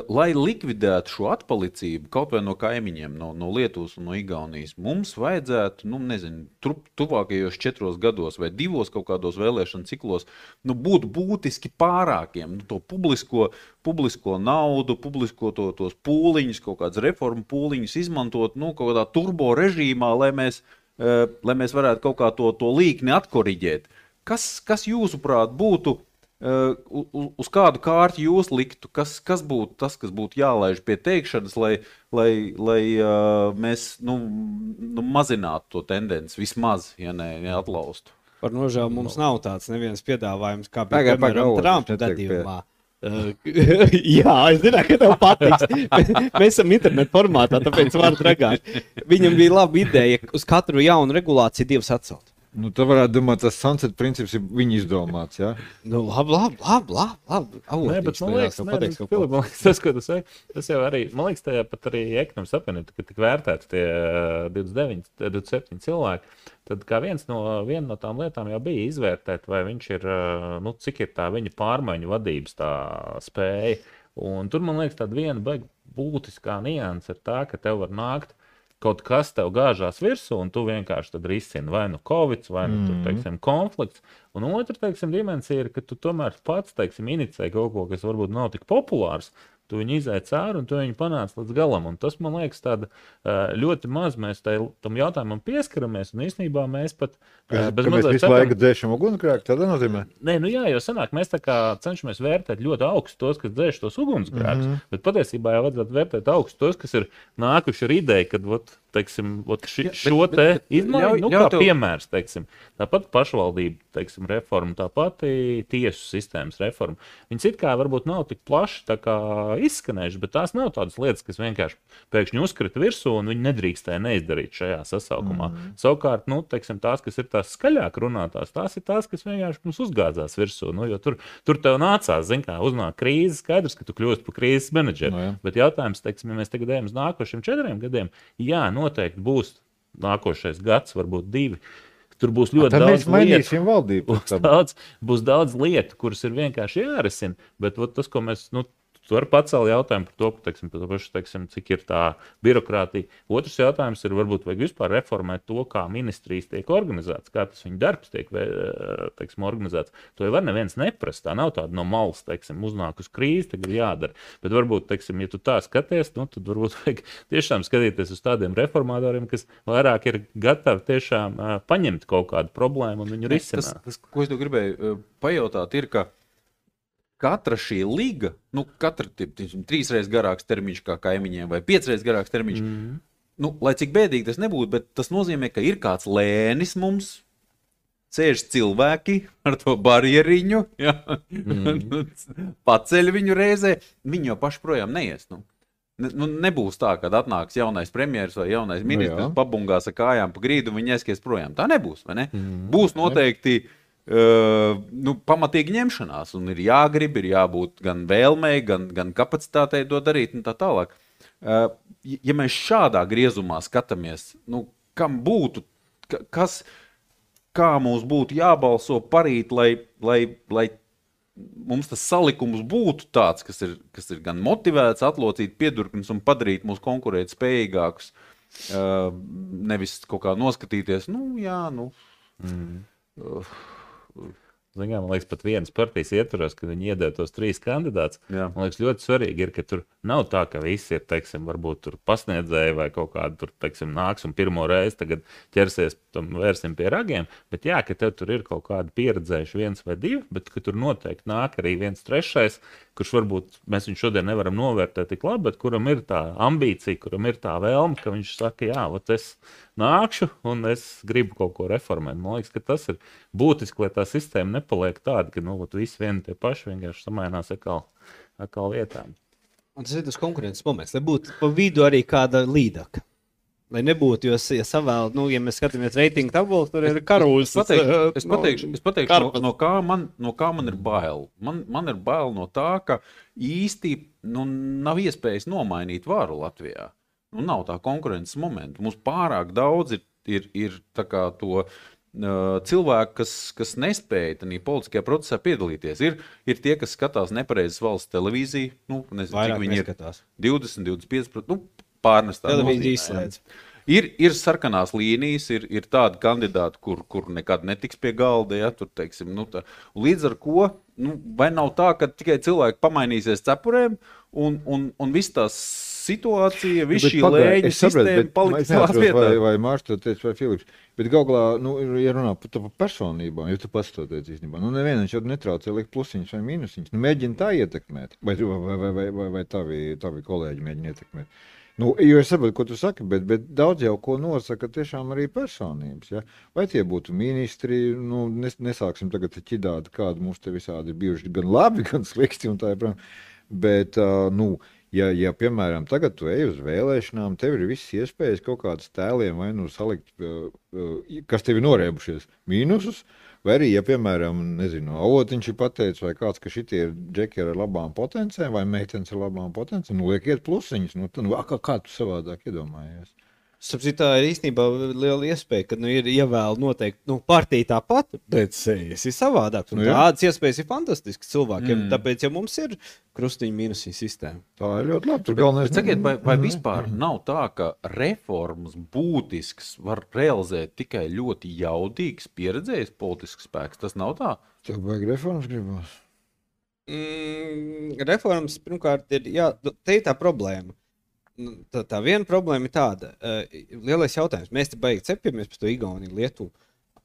lai likvidētu šo atpalicību kaut vai no kaimiņiem, no, no Lietuvas un no Igaunijas, mums vajadzētu, nu, nezinu, tu, tuvākajos četros gados vai divos kaut kādos vēlēšanu ciklos, nu, būt būtiski pārākiem, nu, to publisko, publisko naudu, publisko to, tos pūliņus, kaut kādas reformu pūliņus izmantot, nu, kaut kādā turbo režīmā, lai mēs, uh, lai mēs varētu kaut kā to, to līkni atkoriģēt. Kas, kas jūsuprāt būtu Uh, uz, uz kādu kārtu jūs liktu, kas, kas būtu tas, kas būtu jālaiž pie teikšanas, lai, lai, lai uh, mēs nu, nu, mazinātu to tendenci, vismaz, ja ne, neatlaustu? Par nožēlu mums nav tāds neviens piedāvājums, kā Pagai, bija piemēram pagai, Trumpa netiek gadījumā. Uh, jā, es zināju, ka tev patiks. Mēs esam internetu formātā, tāpēc varu dragāt. Viņam bija laba ideja uz katru jaunu regulāciju divas atcelt. Nu, tā varētu domāt, tas sunset princips ir viņa izdomāts, jā? Nu, labi, labi, labi, labi, labi. Nē, bet man liekas, tev nē, pateiks, nu, Filip, man liekas, tas, ko tu saki, tas jau arī, man liekas, tajā pat arī ekonomikas apvienībā, kad tik vērtēti tie divdesmit deviņi, divdesmit septiņi cilvēki, tad kā viens no, viena no tām lietām jau bija izvērtēt, vai viņš ir, nu, cik ir tā viņa pārmaiņu vadības tā spēja. Un tur, man liekas, tāda viena baigi būtiskā nianse ir tā, ka tev var nākt kaut kas tev gāžās virsū, un tu vienkārši tad risini vai nu Covid, vai nu, tur, teiksim, konflikts. Un otra, teiksim, dimensija ir, ka tu tomēr pats, teiksim, inicē kaut ko, kas varbūt nav tik populārs, tu viņu izēji cēru un tu viņu panāc līdz galam. Un tas, man liekas, tāda ļoti maz mēs tai, tam jautājumam pieskaramies, un īstenībā mēs pat... Ka, ka mēs visu laiku dzēšam ugunsgrēku, tādā nozīmē? Nē, nu jā, jo sanāk, mēs tā kā cenšamies vērtēt ļoti augstu tos, kas dzēš tos ugunsgrēkus, mm-hmm. bet patiesībā jau vajadzētu vērtēt augstu tos, kas ir nākuši ar ideju, kad, vot, teiksim, vot ši, ja, šo bet, te bet, izmaiņu, nu, ļauj kā tev... piemērs, teiksim, tāpat pašvaldība, teiksim, reforma, tāpat tiesu sistēmas reforma. Viņas it kā varbūt nav tik plaši tā kā izskanējuši, bet tās nav tādas lietas, kas vienkārši pēkšņi uzkrita virsū un viņi nedrīkstēja neizdarīt šajā sasaukumā. Mm. Savukārt, nu, teiksim, tās, kas ir tās skaļāk runātās, tās ir tās, kas vienkārši mums uzgāzās virsū. Nu, jo tur, tur tev nācās, zin kā, uznāk krīze, skaidrs, ka tu kļūst par krīzes menedžeri. No, jā. Bet jautājums, teiksim, ja mēs tagad ejam uz nākošiem četriem gadiem, jā, noteikti būs nākošais gads, varbūt divi. Tur būs ļoti A, daudz lietu. Būs daudz, būs daudz lietu, kuras ir vienkārši jārisina, bet ot, tas, ko mēs, nu, tu vari pacelt jautājumu par to, teiksim, par to pašu, teiksim, cik ir tā birokrātija. Otrs jautājums ir, varbūt vajag vispār reformēt to, kā ministrijas tiek organizēts, kā tas viņa darbs tiek, teiksim, organizēts. To jau var neviens neprast, tā nav tāda no malas, teiksim, uznāk uz krīzi, tagad jādara. Bet varbūt, teiksim, ja tu tā skaties, nu, tad varbūt vajag tiešām skatīties uz tādiem reformatoriem, kas vairāk ir gatavi tiešām uh, paņemt kaut kādu problēmu un viņu risināt. Tas, tas, ko es tev gribēju uh, pajautāt, ir, ka katra šī liga, nu, katra trīsreiz garāks termiņš kā kaimiņiem vai piecreiz garāks termiņš, mm. nu, lai cik bēdīgi tas nebūtu, bet tas nozīmē, ka ir kāds lēnis mums, sēž cilvēki ar to barjeriņu, ja? mm. paceļ viņu reizē, viņi jau paši projām neies, nu. Ne, nu, nebūs tā, kad atnāks jaunais premjeras vai jaunais ministrs, nu, pabungās ar kājām pa grīdu un viņi aiskies projām. Tā nebūs, vai ne? Mm. Būs noteikti Uh, nu, pamatīgi ņemšanās, un ir jāgrib, ir jābūt gan vēlmei, gan, gan kapacitātei to darīt, un tā tālāk. Uh, ja mēs šādā griezumā skatāmies, nu, kam būtu, kas, kā mums būtu jābalso parīt, lai, lai, lai mums tas salikums būtu tāds, kas ir, kas ir gan motivēts, atlocīt piedurknes un padarīt mūs konkurēt spējīgākus, uh, nevis kaut kā noskatīties, nu, jā, nu... Mm. Uh, Zinām, man liekas, pat vienas partijas ietvaros, kad viņi iedēja tos trīs kandidātus. Jā. Man liekas, ļoti svarīgi ir, ka tur nav tā, ka visi ir, teiksim, varbūt tur pasniedzēji vai kaut kādi tur, teiksim, nāks un pirmo reizi tagad ķersies tam vērsim pie ragiem, bet jā, ka tev tur ir kaut kādi pieredzējuši viens vai divi, bet ka tur noteikti nāk arī viens trešais, kurš varbūt mēs viņu šodien nevaram novērtēt tik labi, bet kuram ir tā ambīcija, kuram ir tā vēlme, ka viņš saka, jā, vat es nākšu un es gribu kaut ko reformēt. Man liekas, ka tas ir būtiski, lai tā sistēma nepaliek tāda, ka, nu, vat visi vieni tie paši vienkārši samainās atkal, atkal vietām. Un tas ir tas konkurences moments, lai būtu pa vidu arī kāda līdaka. Lai nebūtu, jo, ja savēl, nu, ja mēs skatāmies reitingu tabulu, tur ir karūs. Es pateikšu, es pateikšu, es pateikšu no, no, kā man, no kā man ir bail. Man, man ir bail no tā, ka īsti nu, nav iespējas nomainīt varu Latvijā. Nu, nav tā konkurences momenta. Mums pārāk daudz ir, ir, ir tā kā to uh, cilvēku, kas, kas nespēja tādā politiskajā procesā piedalīties. Ir, ir tie, kas skatās nepareizes valsts televīziju. Nu, nezinu, vairāk cik viņi neskatās. Ir divdesmit, divdesmit pieci procenti. Nu, pārnestā televīzija izslēdz. Ir, ir sarkanās līnijas, ir, ir tādi kandidāti, kur, kur nekad netiks pie galda, ja, tur, teiksim, nu tā. Līdz ar ko, nu, vai nav tā, ka tikai cilvēki pamainīsies cepurēm un, un, un viss tās situācija, Nu, viss bet šī pagaid, lēņu es sapratu, sistēma bet palika es savās neatceros, vietā. Vai, vai Mārš to teica, vai Filips. Bet galvā, nu, ir- ja runā par, par personībām, jo tu pats to teici īstenībā, nu, nevienam jau netraucē likt plusiņus vai mīnusiņus. Nu, mēģina tā ietekmēt, vai, vai, vai, vai, vai, vai tavi, tavi kolēģi mēģina ietekmēt. Nu, jo es saprotu, ko tu saki, bet, bet daudz jau ko nosaka tiešām arī personības. Ja? Vai tie būtu ministri, nu, nes, nesāksim tagad ķidāt, kādi mums te visādi ir bijuši gan labi, gan slikti un tā joprojām. Bet, uh, nu, ja, ja, piemēram, tagad tu ej uz vēlēšanām, tev ir visas iespējas kaut kādus tēliem vai nu salikt, uh, uh, kas tev ir norēbušies, mīnusus, vai arī, ja, piemēram, nezinu, avotiņš ir pateicis, vai kāds, ka šitie ir džeki ar labām potencēm, vai meitenes ar labām potencēm, nu, liek iet plusiņus, nu, tad, nu, kā, kā tu savādāk iedomājies? Sapcīt, tā ir īstenībā liela iespēja, ka nu, ir ievēl noteikti nu, partija tāpat, bet sejas ir savādāks. Un Nu, jā. tādas iespējas ir fantastiskas cilvēkiem. Mm. Tāpēc, ja mums ir krustiņu mīnusī sistēma. Tā ir ļoti labi. Tur galvenais... Bet sakiet, vai, vai vispār nav tā, ka reformas būtisks var realizēt tikai ļoti jaudīgs, pieredzējis politisks spēks? Tas nav tā? Tev vajag reformas gribās. Mm, reformas, pirmkārt, ir, jā, te ir tā problēma. Nu, Tā, tā viena problēma ir tāda, uh, lielais jautājums. Mēs te baigi cepjamies par to Igauniju, Lietuvu.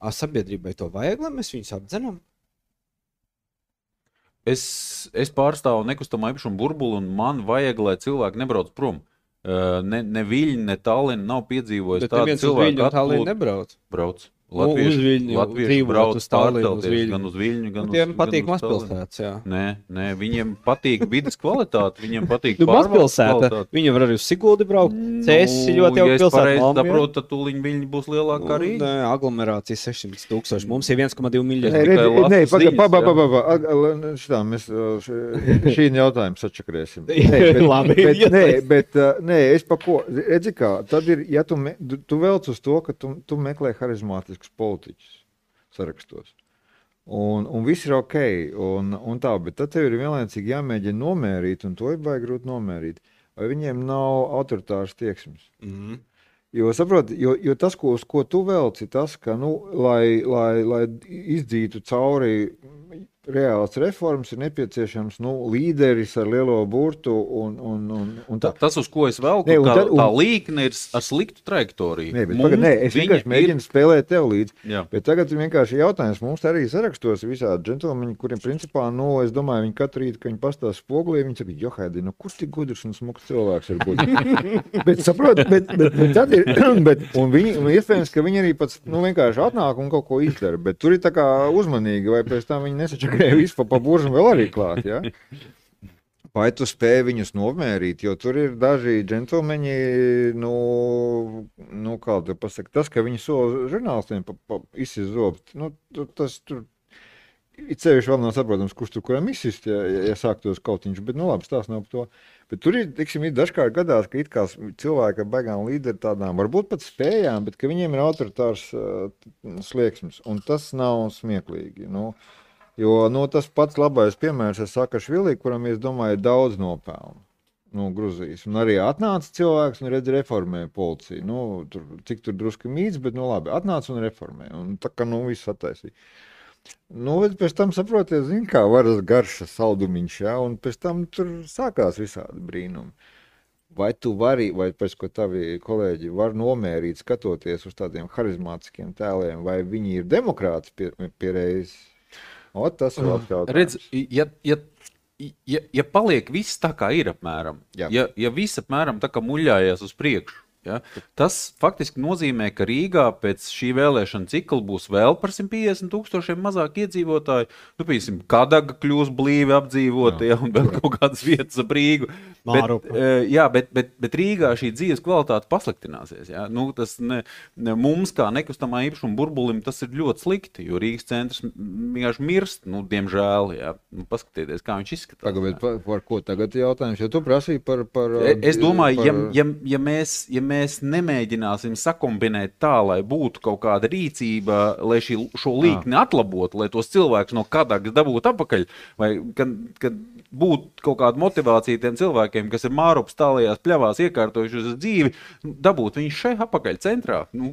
A sabiedrībai to vajag, lai mēs viņus apdzenam? Es, es pārstāvu nekustamā īpašuma burbuli, un man vajag, lai cilvēki nebrauc prom. Uh, Ne, ne Viļņi, ne Tallinn nav piedzīvojis Bet tādu neviens uz cilvēku Viļņu un Tallinu atplūdu. nebrauc. Brauc. Nu, uz Viļņu, Latvieši dzīvot brauc uz Tallinu, uz pārcelties Viļņu. gan uz Viļņu, gan Nu, uz tiem patīk gan uz Tallinu. mazpilsētas, jā. Nē, nē, viņiem patīk vidas kvalitāte, viņiem patīk Nu, pārvaldes mazpilsēta, kvalitāte. viņi var arī uz Siguldi braukt. Cēsis ir ļoti ja jauka es pilsēta. pareizi Malmö. saprotu, tad tūliņ Viļņi būs lielāka kā Rīga. Nē, aglomerācija sešsimt tūkstoši. Mums ir viens komats divi Nē, miljoni. tikai redzi, lasu nē, paga, ziņas, pa, pa, jā. pa, pa, pa. Ag- al- Šitā mēs uh, š- šī jautājumu sačakrēsim. Labi, bet, iespējas. nē, bet uh, nē, es pa ko, redzi kā, tad ir, ja tu, me, tu, tu velc uz to, ka tu, tu meklē harizmātiskus politiķus sarakstos. Un, un viss ir ok, un, un tā, bet tad tev ir vienlaicīgi jāmēģina nomērīt, un to ir baigi grūti nomērīt, vai viņiem nav autoritāras tieksmes. Mhm. Jo, saproti, jo, jo tas, ko, uz ko tu velc, ir tas, ka, nu, lai, lai, lai izdzītu cauri reāls reformas, ir nepieciešams nu, līderis ar lielo burtu. Un, un, un, un Tā, tā. tas, uz ko es velku, Nē, un tā, tad- un- tā līkne ir ar sliktu trajektoriju. Nē, bet, Mums pagad, nē, es viņa vienkārši mēģinu spēlēt tev līdzi. Jā. Bet tagad ir vienkārši jautājums. Mums arī sarakstos visādi džentlmeņi, kuriem principā, nu, es domāju, viņi katru rītu, kad viņi pastāv spogulī, viņi saka, Johaidi, nu, kur tik gudrs un smuks cilvēks var būt? bet, saprot, bet, bet, bet tad ir, bet, un viņi, un iespējams, ka viņi arī pats, nu, vienkārši atnāk un kaut ko izdara, bet tur ir tā kā uzmanīgi, vai pēc tam viņi nesačakrēja visu pa, pa buržu vēl arī klāt, ja? Vai tu spēj viņus nomērīt, jo tur ir daži džentlmeņi, nu, nu kā tu pasaki, tas, ka viņi sola žurnālistiem pa, pa izsizobst, nu, tu- tas tur, it sevišķi vēl nav saprotams, kurš tur kuram izsist, ja, ja, ja sāktos kautiņš, bet, nu, labi, stāsts nav par to. Bet tur ir, tiksim, ir dažkārt gadās, ka it kā cilvēki ar baigām līderi tādām, varbūt pat spējām, bet ka viņiem ir autoritārs uh, slieksnis, un tas nav smieklīgi, nu, jo, nu, tas pats labais piemērs ir Sakašvili, kuram, es domāju, ir daudz nopelnu. Nu, Gruzijas. Un arī atnāca cilvēks un redz reformē policiju. Nu, tur, cik tur drusku mīts, bet, nu, labi, atnāca un reformē. Un tā kā, nu, viss attaisīja. Nu, bet pēc tam saprotiet, zin kā varas garša saldumiņš, ja, un pēc tam tur sākās visādi brīnumi. Vai tu vari, vai pēc ko tavi kolēģi var nomērīt, skatoties uz tādiem harizmātiskiem tēliem, vai viņi ir demokrāti pie, pie reizes? O, tas ir labs jautājums. Redz, ja, ja, ja, ja paliek viss tā, kā ir apmēram, Jā. ja, ja viss apmēram tā kā muļājās uz priekšu, ja, tas faktiski nozīmē, ka Rīgā pēc šī vēlēšana cikla būs vēl par simt piecdesmit tūkstošiem mazāk iedzīvotāju. Nu, piemēram, Kadaga kļūs blīvi apdzīvota, ja, un vēl kaut kādas vietas ap Rīgu. Bet, Mārupa. eh, jā, bet, bet, bet Rīgā šī dzīves kvalitāte pasliktināsies. Ja. Nu, tas ne, ne, mums, kā nekustamā īpašuma burbulim, tas ir ļoti slikti, jo Rīgas centrs vienkārši mirst, nu, diemžēl. Ja. Nu, paskatieties, kā viņš izskatās. Tagad, bet par, par ko tagad ir jautājums? Jo tu prasīji par... par E- Es domāju, par, ja, ja, ja, mēs, ja mēs nemēģināsim sakombinēt tā, lai būtu kaut kāda rīcība, lai šī, šo līkni atlabotu, lai tos cilvēkus no Kadagas dabūtu atpakaļ, vai kad, kad būtu kaut kāda motivācija tiem cilvēkiem, kas ir Mārupas tālajās pļavās iekārtojušies uz dzīvi, nu, dabūt viņus šeit atpakaļ centrā. Nu,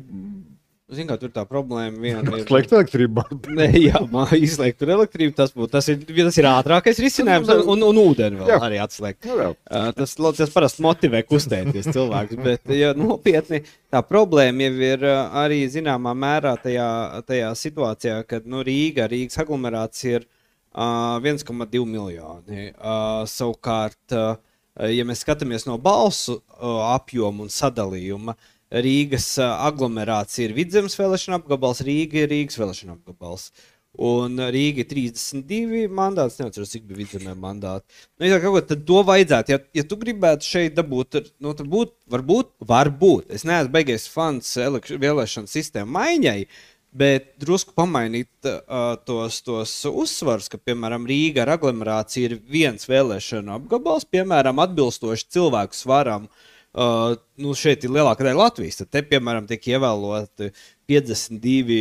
Zin kā, tur tā problēma viena ir... Slēgt elektrību. Nē, jā, man izslēgt tur elektrību, tas, būtu, tas, ir, tas ir ātrākais risinājums, un, un, un ūdeni vēl jā. Arī atslēgt. Jā. Tas, tas parasti motivē kustēties cilvēks, bet ja, nopietni tā problēma jau ir arī zināmā mērā tajā, tajā situācijā, kad nu, Rīga, Rīgas aglomerācija ir uh, viens komats divi miljoni. Uh, savukārt, uh, ja mēs skatāmies no balsu uh, apjoma un sadalījuma, Rīgas aglomerācija ir Vidzemes vēlēšana apgabals, Rīga ir Rīgas vēlēšana apgabals. Un Rīga ir trīsdesmit divi mandāti, neatceros, cik bija Vidzemē mandāti. Nu, ja kaut ko, tad to vajadzētu. Ja, ja tu gribētu šeit dabūt, nu, tad būt, varbūt, varbūt. Es neesmu beigies fans vēlēšana sistēmu maiņai, bet drusku pamainīt uh, tos, tos uzsvars, ka, piemēram, Rīga ar aglomerāciju ir viens vēlēšana apgabals, piemēram, atbilstoši cilvēku svaram. Uh, nu šeit ir lielākā daļa Latvijas, tad te, piemēram, tiek ievēloti piecdesmit divi,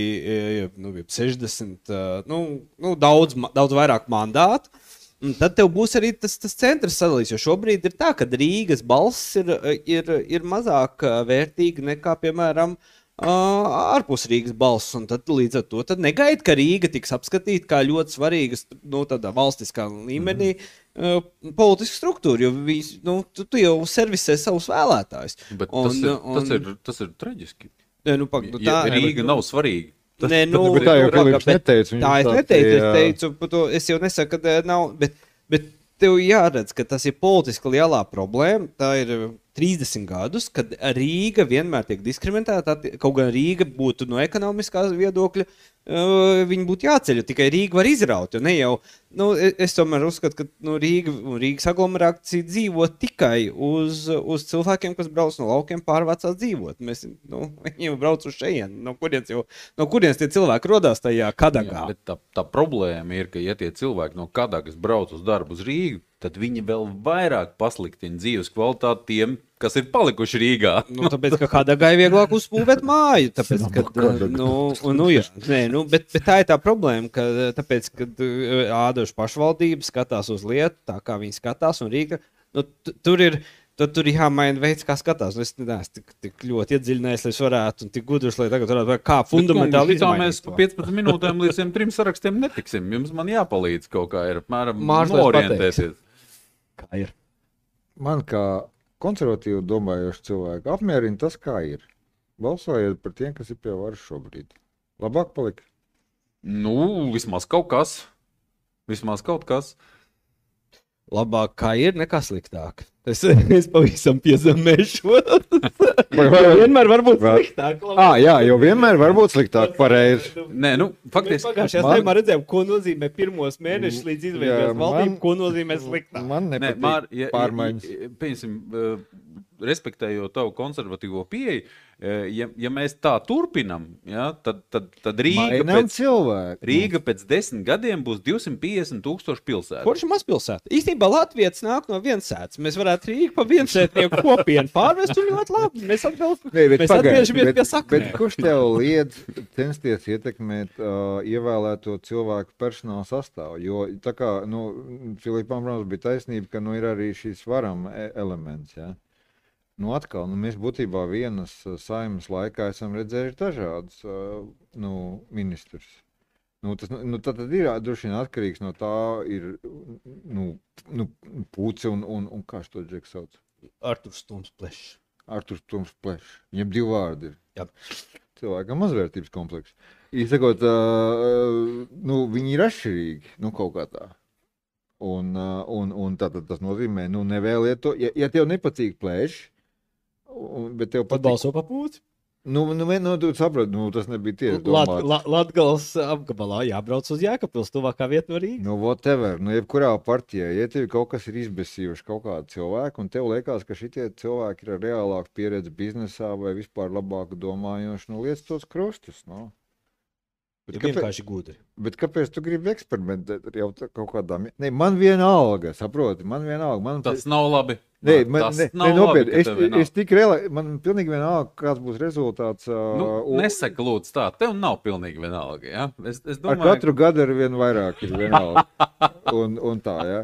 nu, sešdesmit, uh, nu, nu daudz, daudz vairāk mandātu, un tad tev būs arī tas, tas centrs sadalīs, jo šobrīd ir tā, ka Rīgas balss ir, ir, ir mazāk vērtīga nekā, piemēram, uh, ārpus Rīgas balss, un tad līdz ar to tad negaid, ka Rīga tiks apskatīta kā ļoti svarīgas, nu, tādā valstiskā līmenī, mm. Uh, politisku struktūru, jo vis, nu, tu, tu jau servisē savus vēlētājus. Bet un, tas, ir, un, tas, ir, tas ir traģiski. Ne, nu, pak, nu, tā, ja Rīga nav svarīga. Tas, ne, nu, bet tā jau Filips neteica. Tā es neteicu, es teicu, to, es jau nesaku, ka nav, bet, bet tev jāredz, ka tas ir politiski lielā problēma. Tā ir trīsdesmit gadus, kad Rīga vienmēr tiek diskriminēta, kaut gan Rīga būtu no ekonomiskās viedokļa, uh, viņi būtu jāceļ, tikai Rīga var izraut, jo ne jau, nu, es tomēr uzskatu, ka nu, Rīga un Rīgas aglomerācija dzīvo tikai uz, uz cilvēkiem, kas brauc no laukiem pārvācās dzīvot. Mēs, nu, viņi jau brauc uz šeien, no kurienes, jau, no kurienes tie cilvēki rodās tajā Kadagā. Jā, bet tā, tā problēma ir, ka ja tie cilvēki no Kadagas brauc uz darbu uz Rīgu, tad viņi vēl vairāk pasliktina dzīves kvalitāti tiem, kas ir palikuši Rīgā. Nu, tāpēc, ka Kadagai vieglāk uzbūvēt māju, tāpēc, ka, nu, nu, jā, nē, nu, bet, bet tā ir tā problēma, ka, tāpēc, kad ādoša pašvaldība skatās uz lietu, tā kā viņi skatās, un Rīga, nu, tur ir, tad tur ir jāmaina veids, kā skatās. Es neesmu tik, tik ļoti iedziļinājies, lai es varētu, un tik gudrs, lai tagad varētu, kā fundamentāli izmainīt. Mēs pa piecpadsmit minūtēm līdz tiem trim sarakstiem netiksim. Jums man jāpalīdz kaut kā ir, apmēram, norientēties. Kā ir? Man kā konservatīvi domājoši cilvēki apmierina tas, kā ir. Balsojiet par tiem, kas ir pie varas šobrīd. Labāk palika? Nu, vismaz kaut kas. Vismaz kaut kas. Labāk kā ir, nekā sliktāk. Es, es pavisam piezemēšu. Vienmēr var būt sliktāk. Ā, jā, jo vienmēr var būt sliktāk, pareizi. Nē, nu, faktiski. Mēs pagājušajā man... tēmā redzējām, ko nozīmē pirmos mēnešus līdz izveidot valdību, ko nozīmē sliktāk. Man nepatīk Nē, Mār, ja, pārmaiņas. Ja, piemēram, uh, respektējot tavu konservatīvo pieeju, ja, ja mēs tā turpinam, ja, tad, tad, tad Rīga, pēc, Rīga pēc desmit gadiem būs divsimt piecdesmit tūkstoši pilsēta. Kurš ir mazpilsēta? Īstenībā Latvijas nāk no viensētas. Mēs varētu Rīgu pa viensētnieku kopienu pārvest un ļoti labi. Mēs, atbilst, Nē, mēs atgriežamies pie saknēm. Bet kurš tev liedz censties ietekmēt uh, ievēlēto cilvēku personāla sastāvu? Jo tā kā, nu, Filipam Rams bija taisnība, ka nu, ir arī šīs varam elements, ja? Nu, atkal, nu, mēs būtībā vienas saimas laikā esam redzējuši dažādus uh, nu, ministrus. Nu, tas nu, tad, tad ir droši vien atkarīgs no tā, ir nu, nu, Puce un, un, un kā šo džeku sauc? Arturs Toms Plešs. Arturs Toms Plešs. Viņam divi vārdi ir. Jā. Cilvēkam mazvērtības komplekss. Īsakot, uh, nu, viņi ir atšķirīgi, nu, kaut kā tā. Un, uh, un, un tātad tas nozīmē, nu, nevēliet to, ja, ja tev nepatīk Plešs, Un, bet tev patīk... balso pa Puci? Nu, nu, nu tu saprati, nu, tas nebija tieši domāts. Lat, Lat, Latgales apgabalā jābrauc uz Jēkabpils, tuvākā vieta no Rīgas. Nu, whatever, nu, jebkurā partijā, ja tev kaut kas ir izbesījuši kaut kādu cilvēku, un tev liekas, ka šitie cilvēki ir ar reālāku pieredzi biznesā vai vispār labāku domājoši, nu, liec tos krustus, nu. Bet ja vienkārši gudri. Bet kāpēc tu gribi eksperimentēt ar jau kaut kādām... Ne, man vienalga, saproti, man vienalga. Man... Tas nav labi. Nē, man, ne, ne, nopietni, es, es tik reāli, man pilnīgi vienalga, kāds būs rezultāts. Nu, uh, nesaka lūdzu tā, tev nav pilnīgi vienalga, ja? Es, es domāju, ar katru gadu ar vien vairāk ir vienalga. un, un tā, ja.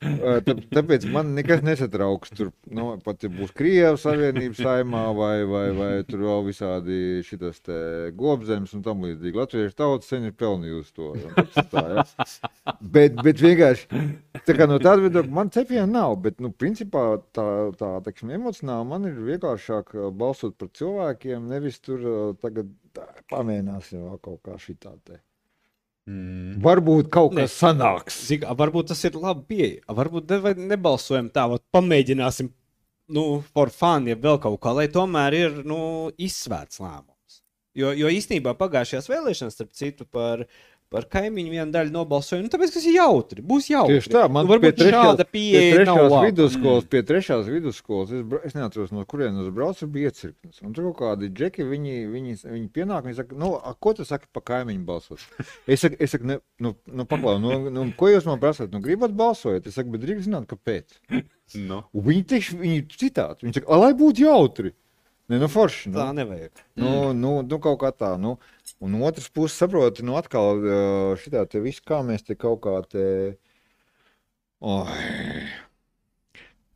Tā, tāpēc man nekas nesatrauks. Tur nu, pat ja būs Krievijas Savienības saimā vai, vai, vai tur vēl visādi šitas te gobzemes un tam līdzīgi. Latviešu tauta sen ir pelnījusi to. Tā, ja? bet, bet vienkārši, tā kā no tāda viedokļa man cepiena nav, bet, nu, principā tā, tā teiksim, emocionāli man ir vienkāršāk balsot par cilvēkiem, nevis tur tagad tā, pamēģināsim vēl kaut kā šitā te. Mm. Varbūt kaut kas ne, sanāks. Zin, varbūt tas ir labi pieeja. Varbūt ne, nebalsojam tā, vat, pamēģināsim, nu, for fun, ja vēl kaut kā, lai tomēr ir, nu, izsvērts lēmums. Jo, jo īstenībā pagājušajās vēlēšanas, starp citu, par, par kaimiņu vienu daļu nobalsoju, nu, tāpēc, kas ir jautri, būs jautri. Tieši tā, man nu, varbūt pie šāda pieeja nav trešās labi. vidusskolas, mm. pie trešās vidusskolas, es, bra, es neatceros, no kurien es braucu, bija iecirknis. Un tur kaut kādi džeki, viņi, viņi, viņi pienāk, viņi saka, nu, a, ko tu saki pa kaimiņu balsot? Es saku, es saku ne, nu, nu paklau, nu, nu, ko jūs man prasāt? Nu, gribat balsojot? Es saku, bet drīkst zināt, kāpēc? No. Un viņi tieši, viņi citāti, viņi saka, lai būtu jautri. Ne, nu forši. Nu. Tā nevajag. Nu, nu, nu, kaut kā tā, nu. Un no otras puses saproti, nu, atkal šitā te viss, kā mēs te kaut kā te... Oh.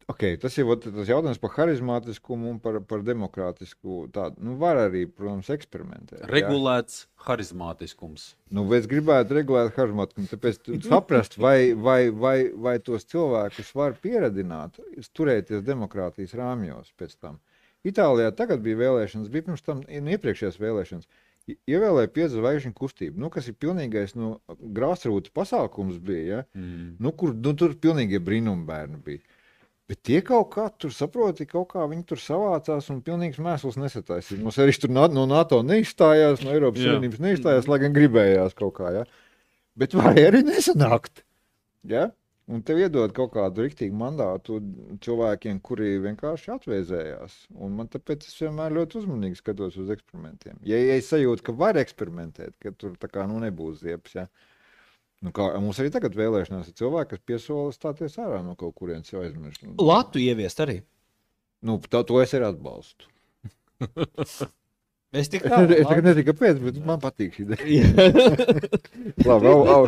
Ok, tas ir tas jautājums par harizmātiskumu un par, par demokrātisku tādu. Nu, var arī, protams, eksperimentēt. Regulēts jā. Harizmātiskums. Nu, es gribētu regulēt harizmātiskumu, tāpēc saprast, vai, vai, vai, vai tos cilvēkus var pieradināt, turēties demokrātijas rāmjos pēc tam. Itālijā tagad bija vēlēšanas, bija pirms tam nu, iepriekšējās vēlēšanas. Ievēlēja piecu zvaigžņu kustību, nu, kas ir pilnīgais nu, grāsrūta pasākums bija, ja? mm. nu, kur nu, tur pilnīgie brīnumbērni bija. Bet tie kaut kā tur saproti, kaut kā viņi tur savācās un pilnīgs mēsls nesataisīja. Mums arī tur no NATO neizstājās, no Eiropas Savienības neizstājās, lai gan gribējās kaut kā, ja? Bet varēja arī nesanākt, ja? Un tev iedod kaut kādu riktīgu mandātu cilvēkiem, kuri vienkārši atvēzējās. Un man tāpēc es vienmēr ļoti uzmanīgi skatos uz eksperimentiem. Ja, ja es sajūtu, ka var eksperimentēt, ka tur tā kā nu nebūs ziepes, ja. Nu kā, mums arī tagad vēlēšanās ir cilvēki, kas piesola stāties ārā no kaut kurienes jau aizmirst. Latu ieviest arī. Nu, tā, to es arī atbalstu. Es tik tā. Es tagad nezinu, kāpēc, bet man patīk šī ideja. Labi, au, au.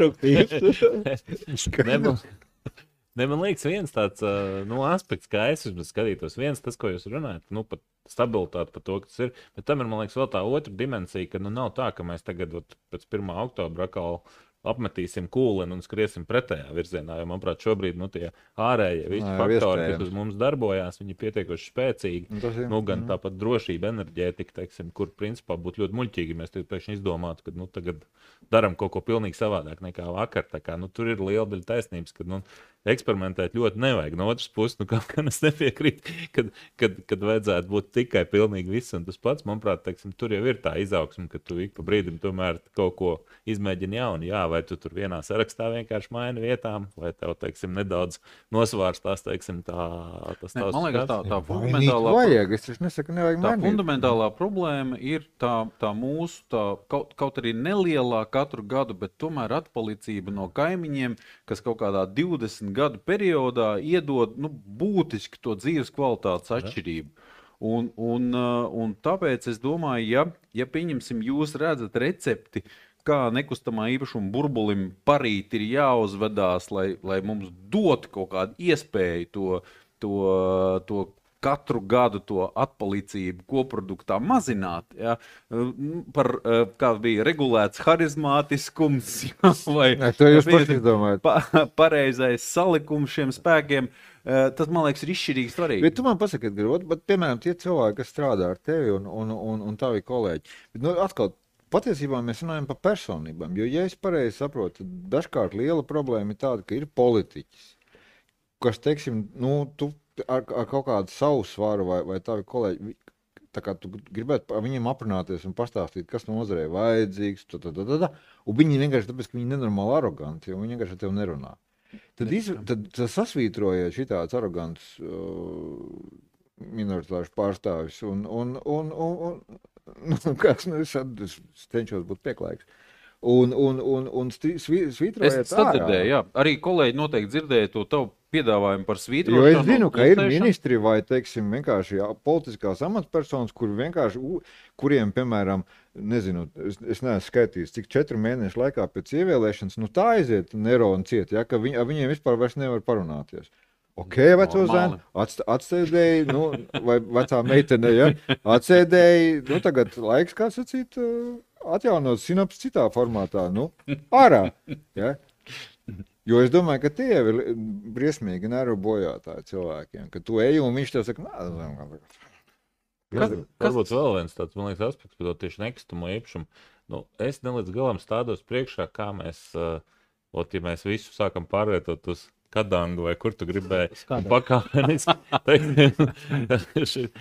Ne, man liekas, viens tāds uh, nu, aspekts, kā es skatītos, viens tas, ko jūs runājat, nu, pat stabilitāte par to, kas ir, bet tam ir, man liekas, vēl tā otra dimensija, ka nu, nav tā, ka mēs tagad ot, pēc pirmā oktobra atkal apmetīsim kūleni un skriesim pretējā virzienā, jo, manuprāt, šobrīd nu, tie ārējie visi Nā, faktori, kas uz mums darbojās, viņi pietiekoši spēcīgi, ir, nu, gan mm. tāpat drošība, enerģētika, teiksim, kur principā būtu ļoti muļķīgi, mēs tagad pēkšņi izdomātu, ka nu, tagad daram kaut ko pilnīgi savādāk nekā vakar, tā kā, nu, tur ir liela daļa taisnības, ka, nu, eksperimentēt ļoti nevajag. No otras puses, nu, kā es nepiekrītu, kad, kad, kad vajadzētu būt tikai pilnīgi viss un tas pats, manuprāt, teiksim, tur jau ir tā izaugsme, ka tu ik pa brīdim tomēr kaut ko izmēģini jaunu. Jā, vai tu tur vienā sarakstā vienkārši maini vietām, vai tev, teiksim, nedaudz nosvārstās, teiksim, tā, tas ne, tās man liekas, tā, tā fundamentālā, vajag, es nesaku, nevajag tā fundamentālā problēma ir tā, tā mūsu, tā, kaut, kaut arī nelielā katru gadu, bet tomēr atpalicība no kaimiņiem, kas kaut kādā divdesmit gadu periodā iedod nu, būtiski to dzīves kvalitātes atšķirību. Un, un, un tāpēc es domāju, ja, ja pieņemsim, jūs redzat recepti, kā nekustamā īpašuma burbulim parīt ir jāuzvedās, lai, lai mums dot kaut kādu iespēju to, to, to katru gadu to atpalicību koproduktā mazināt, ja, par, kā bija regulēts harizmātiskums, ja, vai ne, to jūs paši izdomājat. Pa, pareizais salikums šiem spēkiem, tas, man liekas, ir izšķirīgi svarīgi. Bet tu man pasaki, Edgar, bet, piemēram, tie cilvēki, kas strādā ar tevi un, un, un, un tavi kolēģi, bet, nu, atkal, patiesībā mēs runājam par personībām, jo, ja es pareizi saprotu, dažkārt liela problēma ir tāda, ka ir politiķis, kas, teiksim, nu, tu Ar, ar kaut kādu savu svaru vai, vai tavi kolēģi, tā kā tu gribētu viņiem aprunāties un pastāstīt, kas nozarē vajadzīgs, tā, tā, tā, tā, un viņi vienkārši tāpēc, ka viņi nenormāli aroganti, jo viņi vienkārši ar tevi nerunā. Tad, iz, tad, tad sasvītrojiet šitāds arogants uh, minoritāšu pārstāvis un, un, un, un, un nu, kāds, nu, es, es cenšos būt pieklājīgs. Un, un, un, un svītrojiet es sadzirdēju, jā. Arī kolēģi noteikti dzirdēja to tavu piedāvājumu par svītrošanu. Jo es zinu, ka ir ministri vai, teiksim, vienkārši jā, politiskās amatpersonas, kur vienkārši, kuriem, piemēram, nezinu, es, es neesmu skaitījis, cik četru mēnešu laikā pēc ievēlēšanas, nu tā aiziet neroni ciet, ja, ka viņi, ar viņiem vispār vairs nevar parunāties. Ok, veco zēnu, atst, atsēdēji, nu, vai vecā meitene, ja, atsēdēji, nu, tagad laiks, kā sacīt, atjaunot sinaps citā formātā, nu, ārā, ja. Jo es domāju, ka tie ir briesmīgi nervu bojātāji cilvēkiem, ka tu ej un viņš tev saka, nā, Kas, varbūt vēl viens tāds, man liekas, aspekts par to tieši nekustamo īpašumu. Nu, es ne līdz galam stādos priekšā, kā mēs, uh, ot, ja mēs visu sākam pārvietot uz Kadangu vai kur tu gribēji pakāpeniski, teiksim,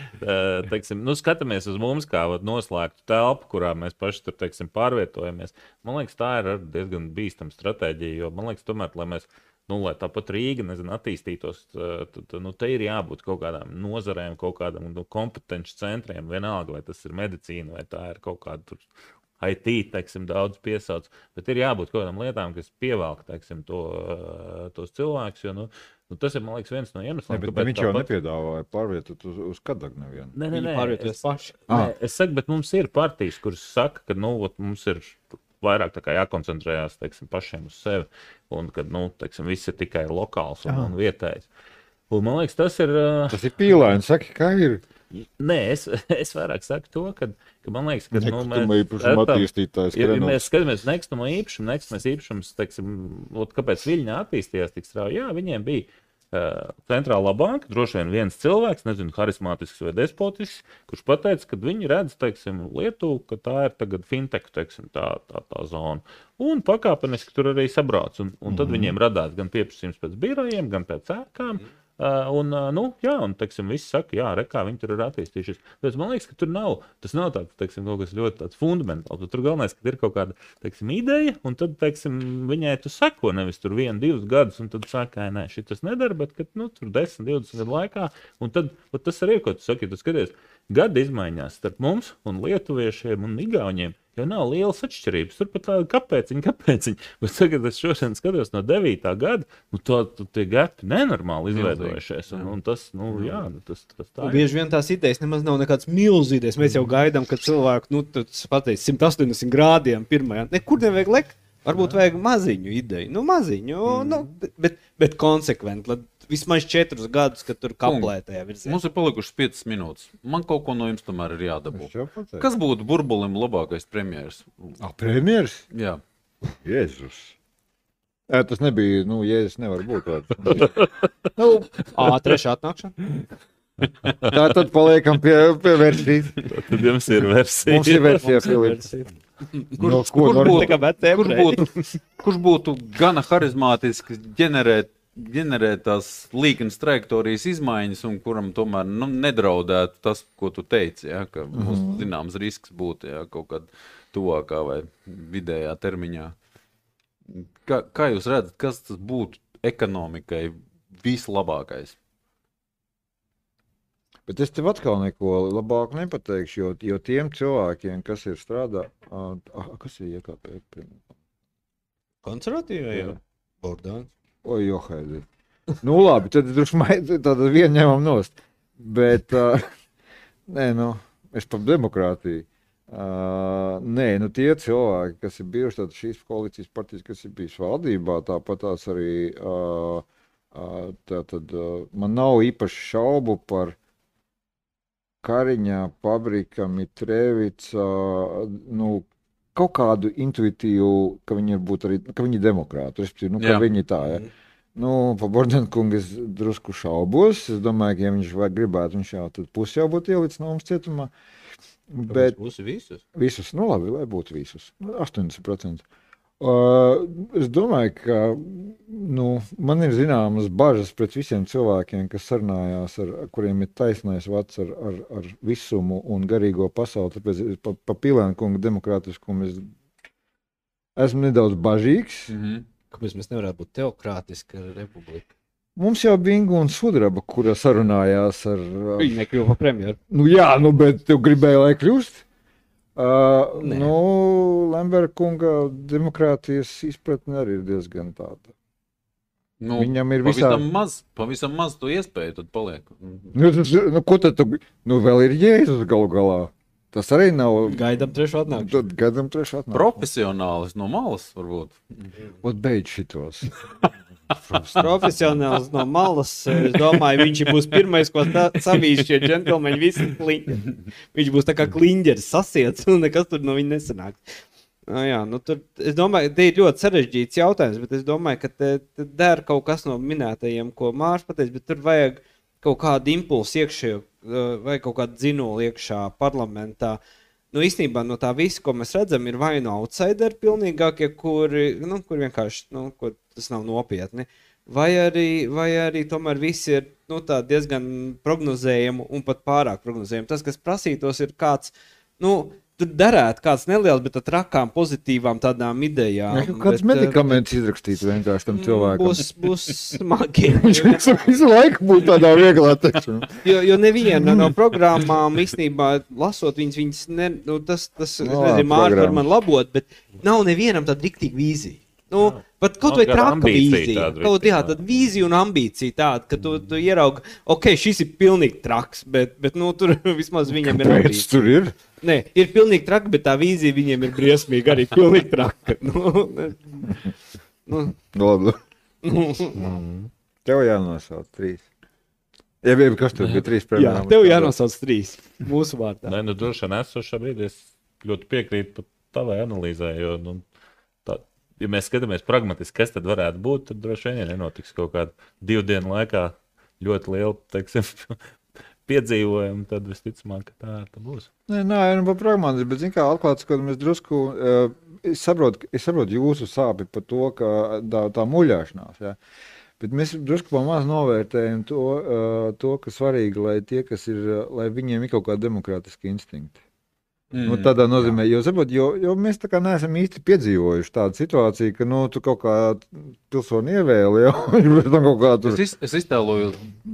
teiksim, nu, skatāmies uz mums kā vat, noslēgtu telpu, kurā mēs paši tur, teiksim, pārvietojamies. Man liekas, tā ir diezgan bīstama stratēģija, jo man liekas, tomēr, lai mēs Nu, lai tāpat Rīga, nezinu, attīstītos, tad, nu, te ir jābūt kaut kādām nozarēm, kaut kādam nu, kompetenci centriem, vienalga, vai tas ir medicīna, vai tā ir kaut kāda tur I T, teiksim, daudz piesauc, bet ir jābūt kaut kādām lietām, kas pievelk, teiksim, to, tos cilvēkus, jo, nu, nu, tas ir, man liekas, viens no iemesliem. Ne, bet, bet viņš jau pat... nepiedāvāja pārvietot uz, uz Kadagu nevienu. Nē, nē, nē, pārvietoties paši. Nē, es saku, bet mums ir partijas, kuras saka, ka, nu, mums ir vairāk tā kā jākoncentrējās, teiksim, pašiem uz sevi, un kad, nu, teiksim, viss ir tikai lokāls un, un vietējs. Un man liekas, tas ir... Tas ir pīlēni, saki, kā ir? Nē, es, es vairāk saku to, ka, ka man liekas, ka, nu, mēs... īpašumu attīstītājs. Ja, ja mēs skatāmies nekustamo īpašumu, nekustamo īpašums, teiksim, ot, kāpēc Viļņā attīstījās tik strauji, jā, viņiem bija Uh, centrālā banka, droši vien viens cilvēks, nezinu, harismātisks vai despotisks, kurš pateica, ka viņi redz, teiksim, Lietuvu, ka tā ir tagad fintech, teiksim, tā, tā, tā zona. Un pakāpeniski tur arī sabrauc. Un, un tad mm-hmm. viņiem radās gan pieprasījums pēc birojiem, gan pēc ēkām. Mm-hmm. Uh, un, uh, nu, jā, un, teiksim, visi saka, jā, re, kā viņi tur ir attīstījušies. Bet man liekas, ka tur nav, tas nav tāds, teiksim, kaut kas ļoti tāds fundamentāls. Tur galvenais, ka ir kaut kāda, teiksim, ideja, un tad, teiksim, viņai tu seko nevis tur vienu, divus gadus, un tad saka, nē, šitas nedara, bet, kad, nu, tur desmit, divdesmit gadu laikā, un tad, tas arī ir, ko tu saki, tu skaties, gada izmaiņās starp mums un lietuviešiem un igauņiem, jo nav lielas atšķirības. Tur pat tāda kāpēciņa, kāpēciņa. Bet tagad es šodien skatos no devītā gada, nu to, to tie gapi nenormāli izveidojušies. Un, un tas, nu, jā, nu, tas, tas tā ir. Bieži vien tās idejas nemaz nav nekāds milz idejas. Mēs jau gaidām, ka cilvēku, nu, tas pateic simt astoņdesmit grādiem pirmajā. Nekur nevajag lekt. Varbūt vajag maziņu ideju. Nu, maziņu, mm. nu, bet, bet konsekventi. Vismaz četrus gadus, kad tur kaplē tajā virzienā. Mums ir palikušas piecas minūtes. Man kaut ko no jums tomēr ir jādabū. Kas būtu Burbulim labākais premjeras? Ah, premjeras? Jā. Jēzus. Ē, tas nebija, nu, Jēzus nevar būt tāds. nu, Ā, trešā atnākšana. Tā tad paliekam pie, pie versijas. Tad jums ir versija. Mums ir versija, Filips. Kur, no, kur, būtu, kur, būtu, kurš būtu gana harizmātisks ģenerēt, ģenerēt tās līknes trajektorijas izmaiņas un kuram tomēr nu, nedraudētu tas, ko tu teici, ja, ka mm-hmm. mums zināms risks būtu ja, kaut kādā tuvākā vai vidējā termiņā. Kā, kā jūs redzat, kas tas būtu ekonomikai vislabākais? Bet es tev atkal neko labāk nepateikšu, jo, jo tiem cilvēkiem, kas ir strādā... Ah, kas ir iekāpē? Konservatīvai jau? Bordāns. Oi, johaidi. Nu labi, tad tad vienu ņemam nost. Bet, uh, nē, nu, es par demokrātiju. Uh, nē, nu tie cilvēki, kas ir bijuši tātad šīs koalīcijas partijas, kas ir bijis valdībā, tāpat tās arī... Uh, uh, tātad, uh, man nav īpaši šaubu par Kariņā, Pabrika, Mitrevica, nu, kaut kādu intuitīvu, ka viņi ir būt arī, ka viņi ir demokrāti, respektīvi, nu, ka Jā. viņi tā, ja. Nu, pa Bordenkungu es drusku šaubos, es domāju, ka ja viņš vai gribētu, viņš jau tad pusi jau būtu ielicis no mums cietumā. Bet pusi visus? Visus, nu labi, lai būtu visus, astoņdesmit procenti. Uh, es domāju, ka nu, man ir zināmas bažas pret visiem cilvēkiem, kas sarunājās, ar, kuriem ir taisnais vats ar, ar, ar visumu un garīgo pasauli. Tāpēc pa, pa Pilēnkunga demokrātiskumu es esmu nedaudz bažīgs. Mm-hmm. Kāpēc mēs nevarētu būt teokrātiska republika? Mums jau bija Inga un Sudraba, kura sarunājās ar... ar... Viņa nekļuva par premjeru. Nu jā, nu, bet tev gribēja, lai kļūst? Uh, nu, Lemberga kunga demokrātijas izpratne arī ir diezgan tāda. Nu, Viņam ir pavisam visā... maz, pavisam maz to iespēju tad paliek. Nu, tas, nu, ko tad tu... Nu, vēl ir Jēzus galu galā. Tas arī nav. Gaidām trešo atnākšanu. Tad gaidām trešo atnākšanu. Profesionālis no malas, varbūt. Ot, beidz šitos. Profesionāls no malas. Es domāju, viņš būs pirmais, ko savīs šie džentlmeņi visi kliņģeri. Viņš būs tā kā kliņģeris sasiets, un nekas tur no viņa nesanāk. No jā, nu tur, es domāju, te ir ļoti sarežģīts jautājums, bet es domāju, ka te, te der kaut kas no minētajiem, ko Mārs pateica, bet tur vajag kaut kādu impulsu iekšējo, vai kaut kādu dzinolu iekšā parlamentā. Nu, īstenībā no tā visa, ko mēs redzam, ir vai no outsideri pilnīgākie, kuri, nu, kur vienkārši, nu, kur tas nav nopietni, vai arī, vai arī tomēr visi ir, nu, tā diezgan prognozējami un pat pārāk prognozējami. Tas, kas prasītos, ir kāds, nu, tur derētu kāds neliels, bet ar trakām, pozitīvām tādām idejām. Ja, kāds medikaments izrakstīt vienkārši tam cilvēkam. Būs, būs smagi. Viņš visu laiku būs tādā vieglā tekšanā. Jo, jo neviena no programmām, īstenībā, lasot viņas, viņas ne, nu, tas, tas No, es nezinu, Mārta var programmas. man labot, bet nav nevienam tāda riktīga vīzija. Nu, pat kaut vai Nav kāda traka ambīcija vīzija. tāda Kaut, jā, riktīga. tāda vīzija un ambīcija tāda, ka tu, tu ieraugi, ok, šis ir pilnīgi traks, bet, bet nu, tur vismaz viņam ir Pēc ambīcija. tur ir? Nē, ir pilnīgi traka, bet tā vīzija viņiem ir briesmīga, arī pilnīgi traka. Nu, nu, Labi. nu. Tev jānosauc trīs. Ja bija kas tur bija trīs Jā, programmas. tev jānosauc trīs mūsu vārdā. Nē, nu, droši vien esošā brīdī es ļoti piekrītu pat tavai analīzē, jo, nu, tā, ja mēs skatāmies pragmatiski, kas tad varētu būt, tad droši vien, ja nenotiks kaut kādu divu dienu laikā ļoti lielu, teiksim, piedzīvojumu, tad visticamāk, ka tā, tā būs. Nē, nē, nu, pa pragmatiski, bet, zin kā, atklāt, ka mēs drusku, uh, es saprotu, es saprotu jūsu sāpi par to, ka tā, tā muļāšanās, jā. Bet mēs drusku pamaz novērtējam to, uh, to, ka svarīgi, lai tie, kas ir, uh, lai viņiem ir kaut kādi demokrātiski instinkti. Mm, nu, tādā nozīmē, jo, saprot, jo, jo mēs tā kā neesam īsti piedzīvojuši tādu situāciju, ka, nu, tu kaut kā pilsoni ievēli, jau, bet tam kaut kā tur... Es, iz, es iztēloju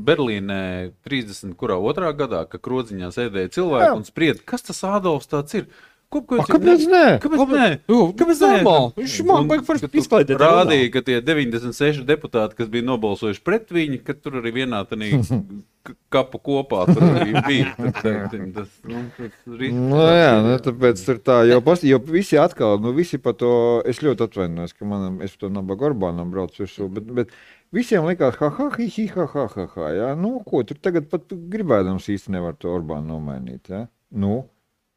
Berlīnē trīsdesmit kurā otrā gadā, ka krodziņā sēdēja cilvēki Jā. un spried, kas tas Ādolfs tāds ir? Ko, ko, A, kāpēc nē? Kāpēc nē? Kāpēc normāli? Viņš man vajag forši izklaidēt Rādīja, ka tie deviņdesmit seši deputāti, kas bija nobalsojuši pret viņu, ka tur arī vienā tanī k- kapu kopā tur arī bija. Tad, teiksim, tas, nu, tas ris- Nu, jā, nu, tāpēc tur tā, jo, pas, jo visi atkal, nu, visi par to, es ļoti atvainojos, ka manam, es par to Nabaga Orbānam braucu virsū, bet, bet visiem likās, ha, ha, hi, hi, ha, ha, ha, ha, jā, nu, ko, tur tagad pat gribēdams īsti nevar to Orbānu nomainīt, jā, nu,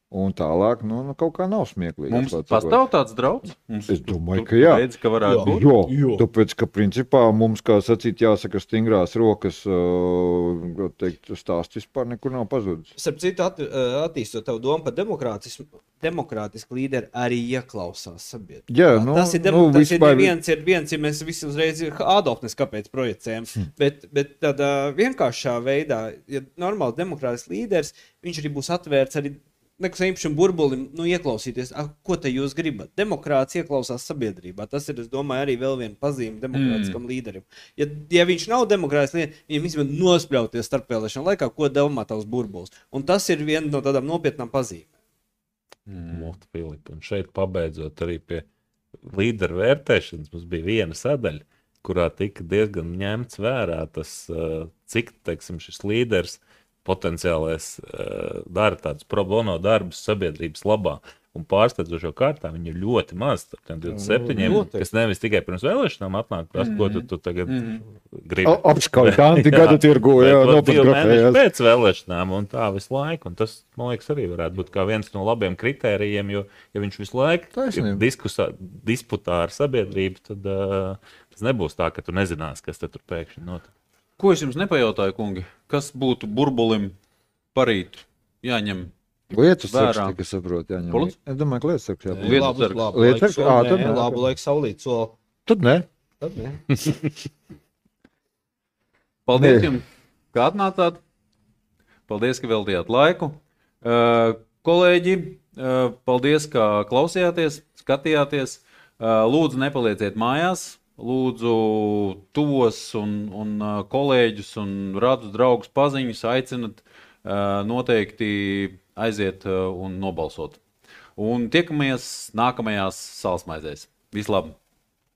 un tālāk, nu, nu kaut kā nav smieklīgi. Mums atklāt pastāv sakot. tāds draudz? Mums Es domāju, tur ka jā. Redz, ka varētu būt. Jo, Jo. tāpēc, ka principā mums, kā sacīt, jāsaka stingrās rokas, uh, teikt, stāsts vispār nekur nav pazudis. Starp citu, at, attīstot tavu domu par demokrātismu, demokrātiski līderi arī ieklausās sabiedrībā. Jā, nu, tas ir, nu, nu, tas ir vispār- viens, ir viens, ja mēs visi uzreiz Ādolfnes kāpēc projicējam, hmm. bet, bet tādā vienkāršā veidā, ja normāls demokrātisks līderis, viņš arī būs atvērts arī nekas īpašam burbulim, nu, ieklausīties, ah, ko te jūs gribat. Demokrāts ieklausās sabiedrībā. Tas ir, es domāju, arī vēl viena pazīme demokrātiskam mm. līderim. Ja, ja viņš nav demokrātisks līderis, viņam vismaz nospļauties starpvēlēšanu laikā, ko domā tavs burbulis. Un tas ir viena no tādām nopietnām pazīmēm. Mot, Filipa, un šeit pabeidzot arī pie līderu vērtēšanas, mums bija viena sadaļa, kurā tika diezgan ņemts vērā tas, uh, cik, teiksim, šis līderis potenciālais uh, dara tādus pro bono darbus sabiedrības labā. Un pārsteidzošo kārtā viņi ir ļoti maz. Tiem divdesmit septiņiem, Noteikti. kas nevis tikai pirms vēlēšanām atnāk, prasa, ko tu, tu tagad gribi. Apskauj tanti gadu tirgu, jā, Bet, vat, divi mēneši nopatgrafējās. pēc vēlēšanām un tā visu laiku. Un tas, man liekas, arī varētu būt kā viens no labiem kritērijiem, jo, ja viņš visu laiku Taisnība. ir diskusā, disputā ar sabiedrību, tad uh, tas nebūs tā, ka tu nezinās, kas te tur pēkšņi notiek. Ko es jums nepajautāju, kungi? Kas būtu burbulim parīt jāņem? Lietas Vērā. sakš, tika saprot, jāņem. Lūdzu? Es domāju, ka lietas sakš jābūt. Lietu Labu, sargs. labu Lietu laiku sargs? sol- Ā, nē, tad nē. labu laiku saulīt soli. Tad ne. Tad ne. Paldies Nē. jums, ka atnācāt. Paldies, ka veltījāt laiku. Uh, kolēģi, uh, paldies, ka klausījāties, skatījāties. Uh, lūdzu, nepalieciet mājās. Lūdzu, tos un, un uh, kolēģus un radus draugus paziņus aicinat uh, noteikti aiziet uh, un nobalsot. Un tiekamies nākamajās salsmaizēs. Vislabāk!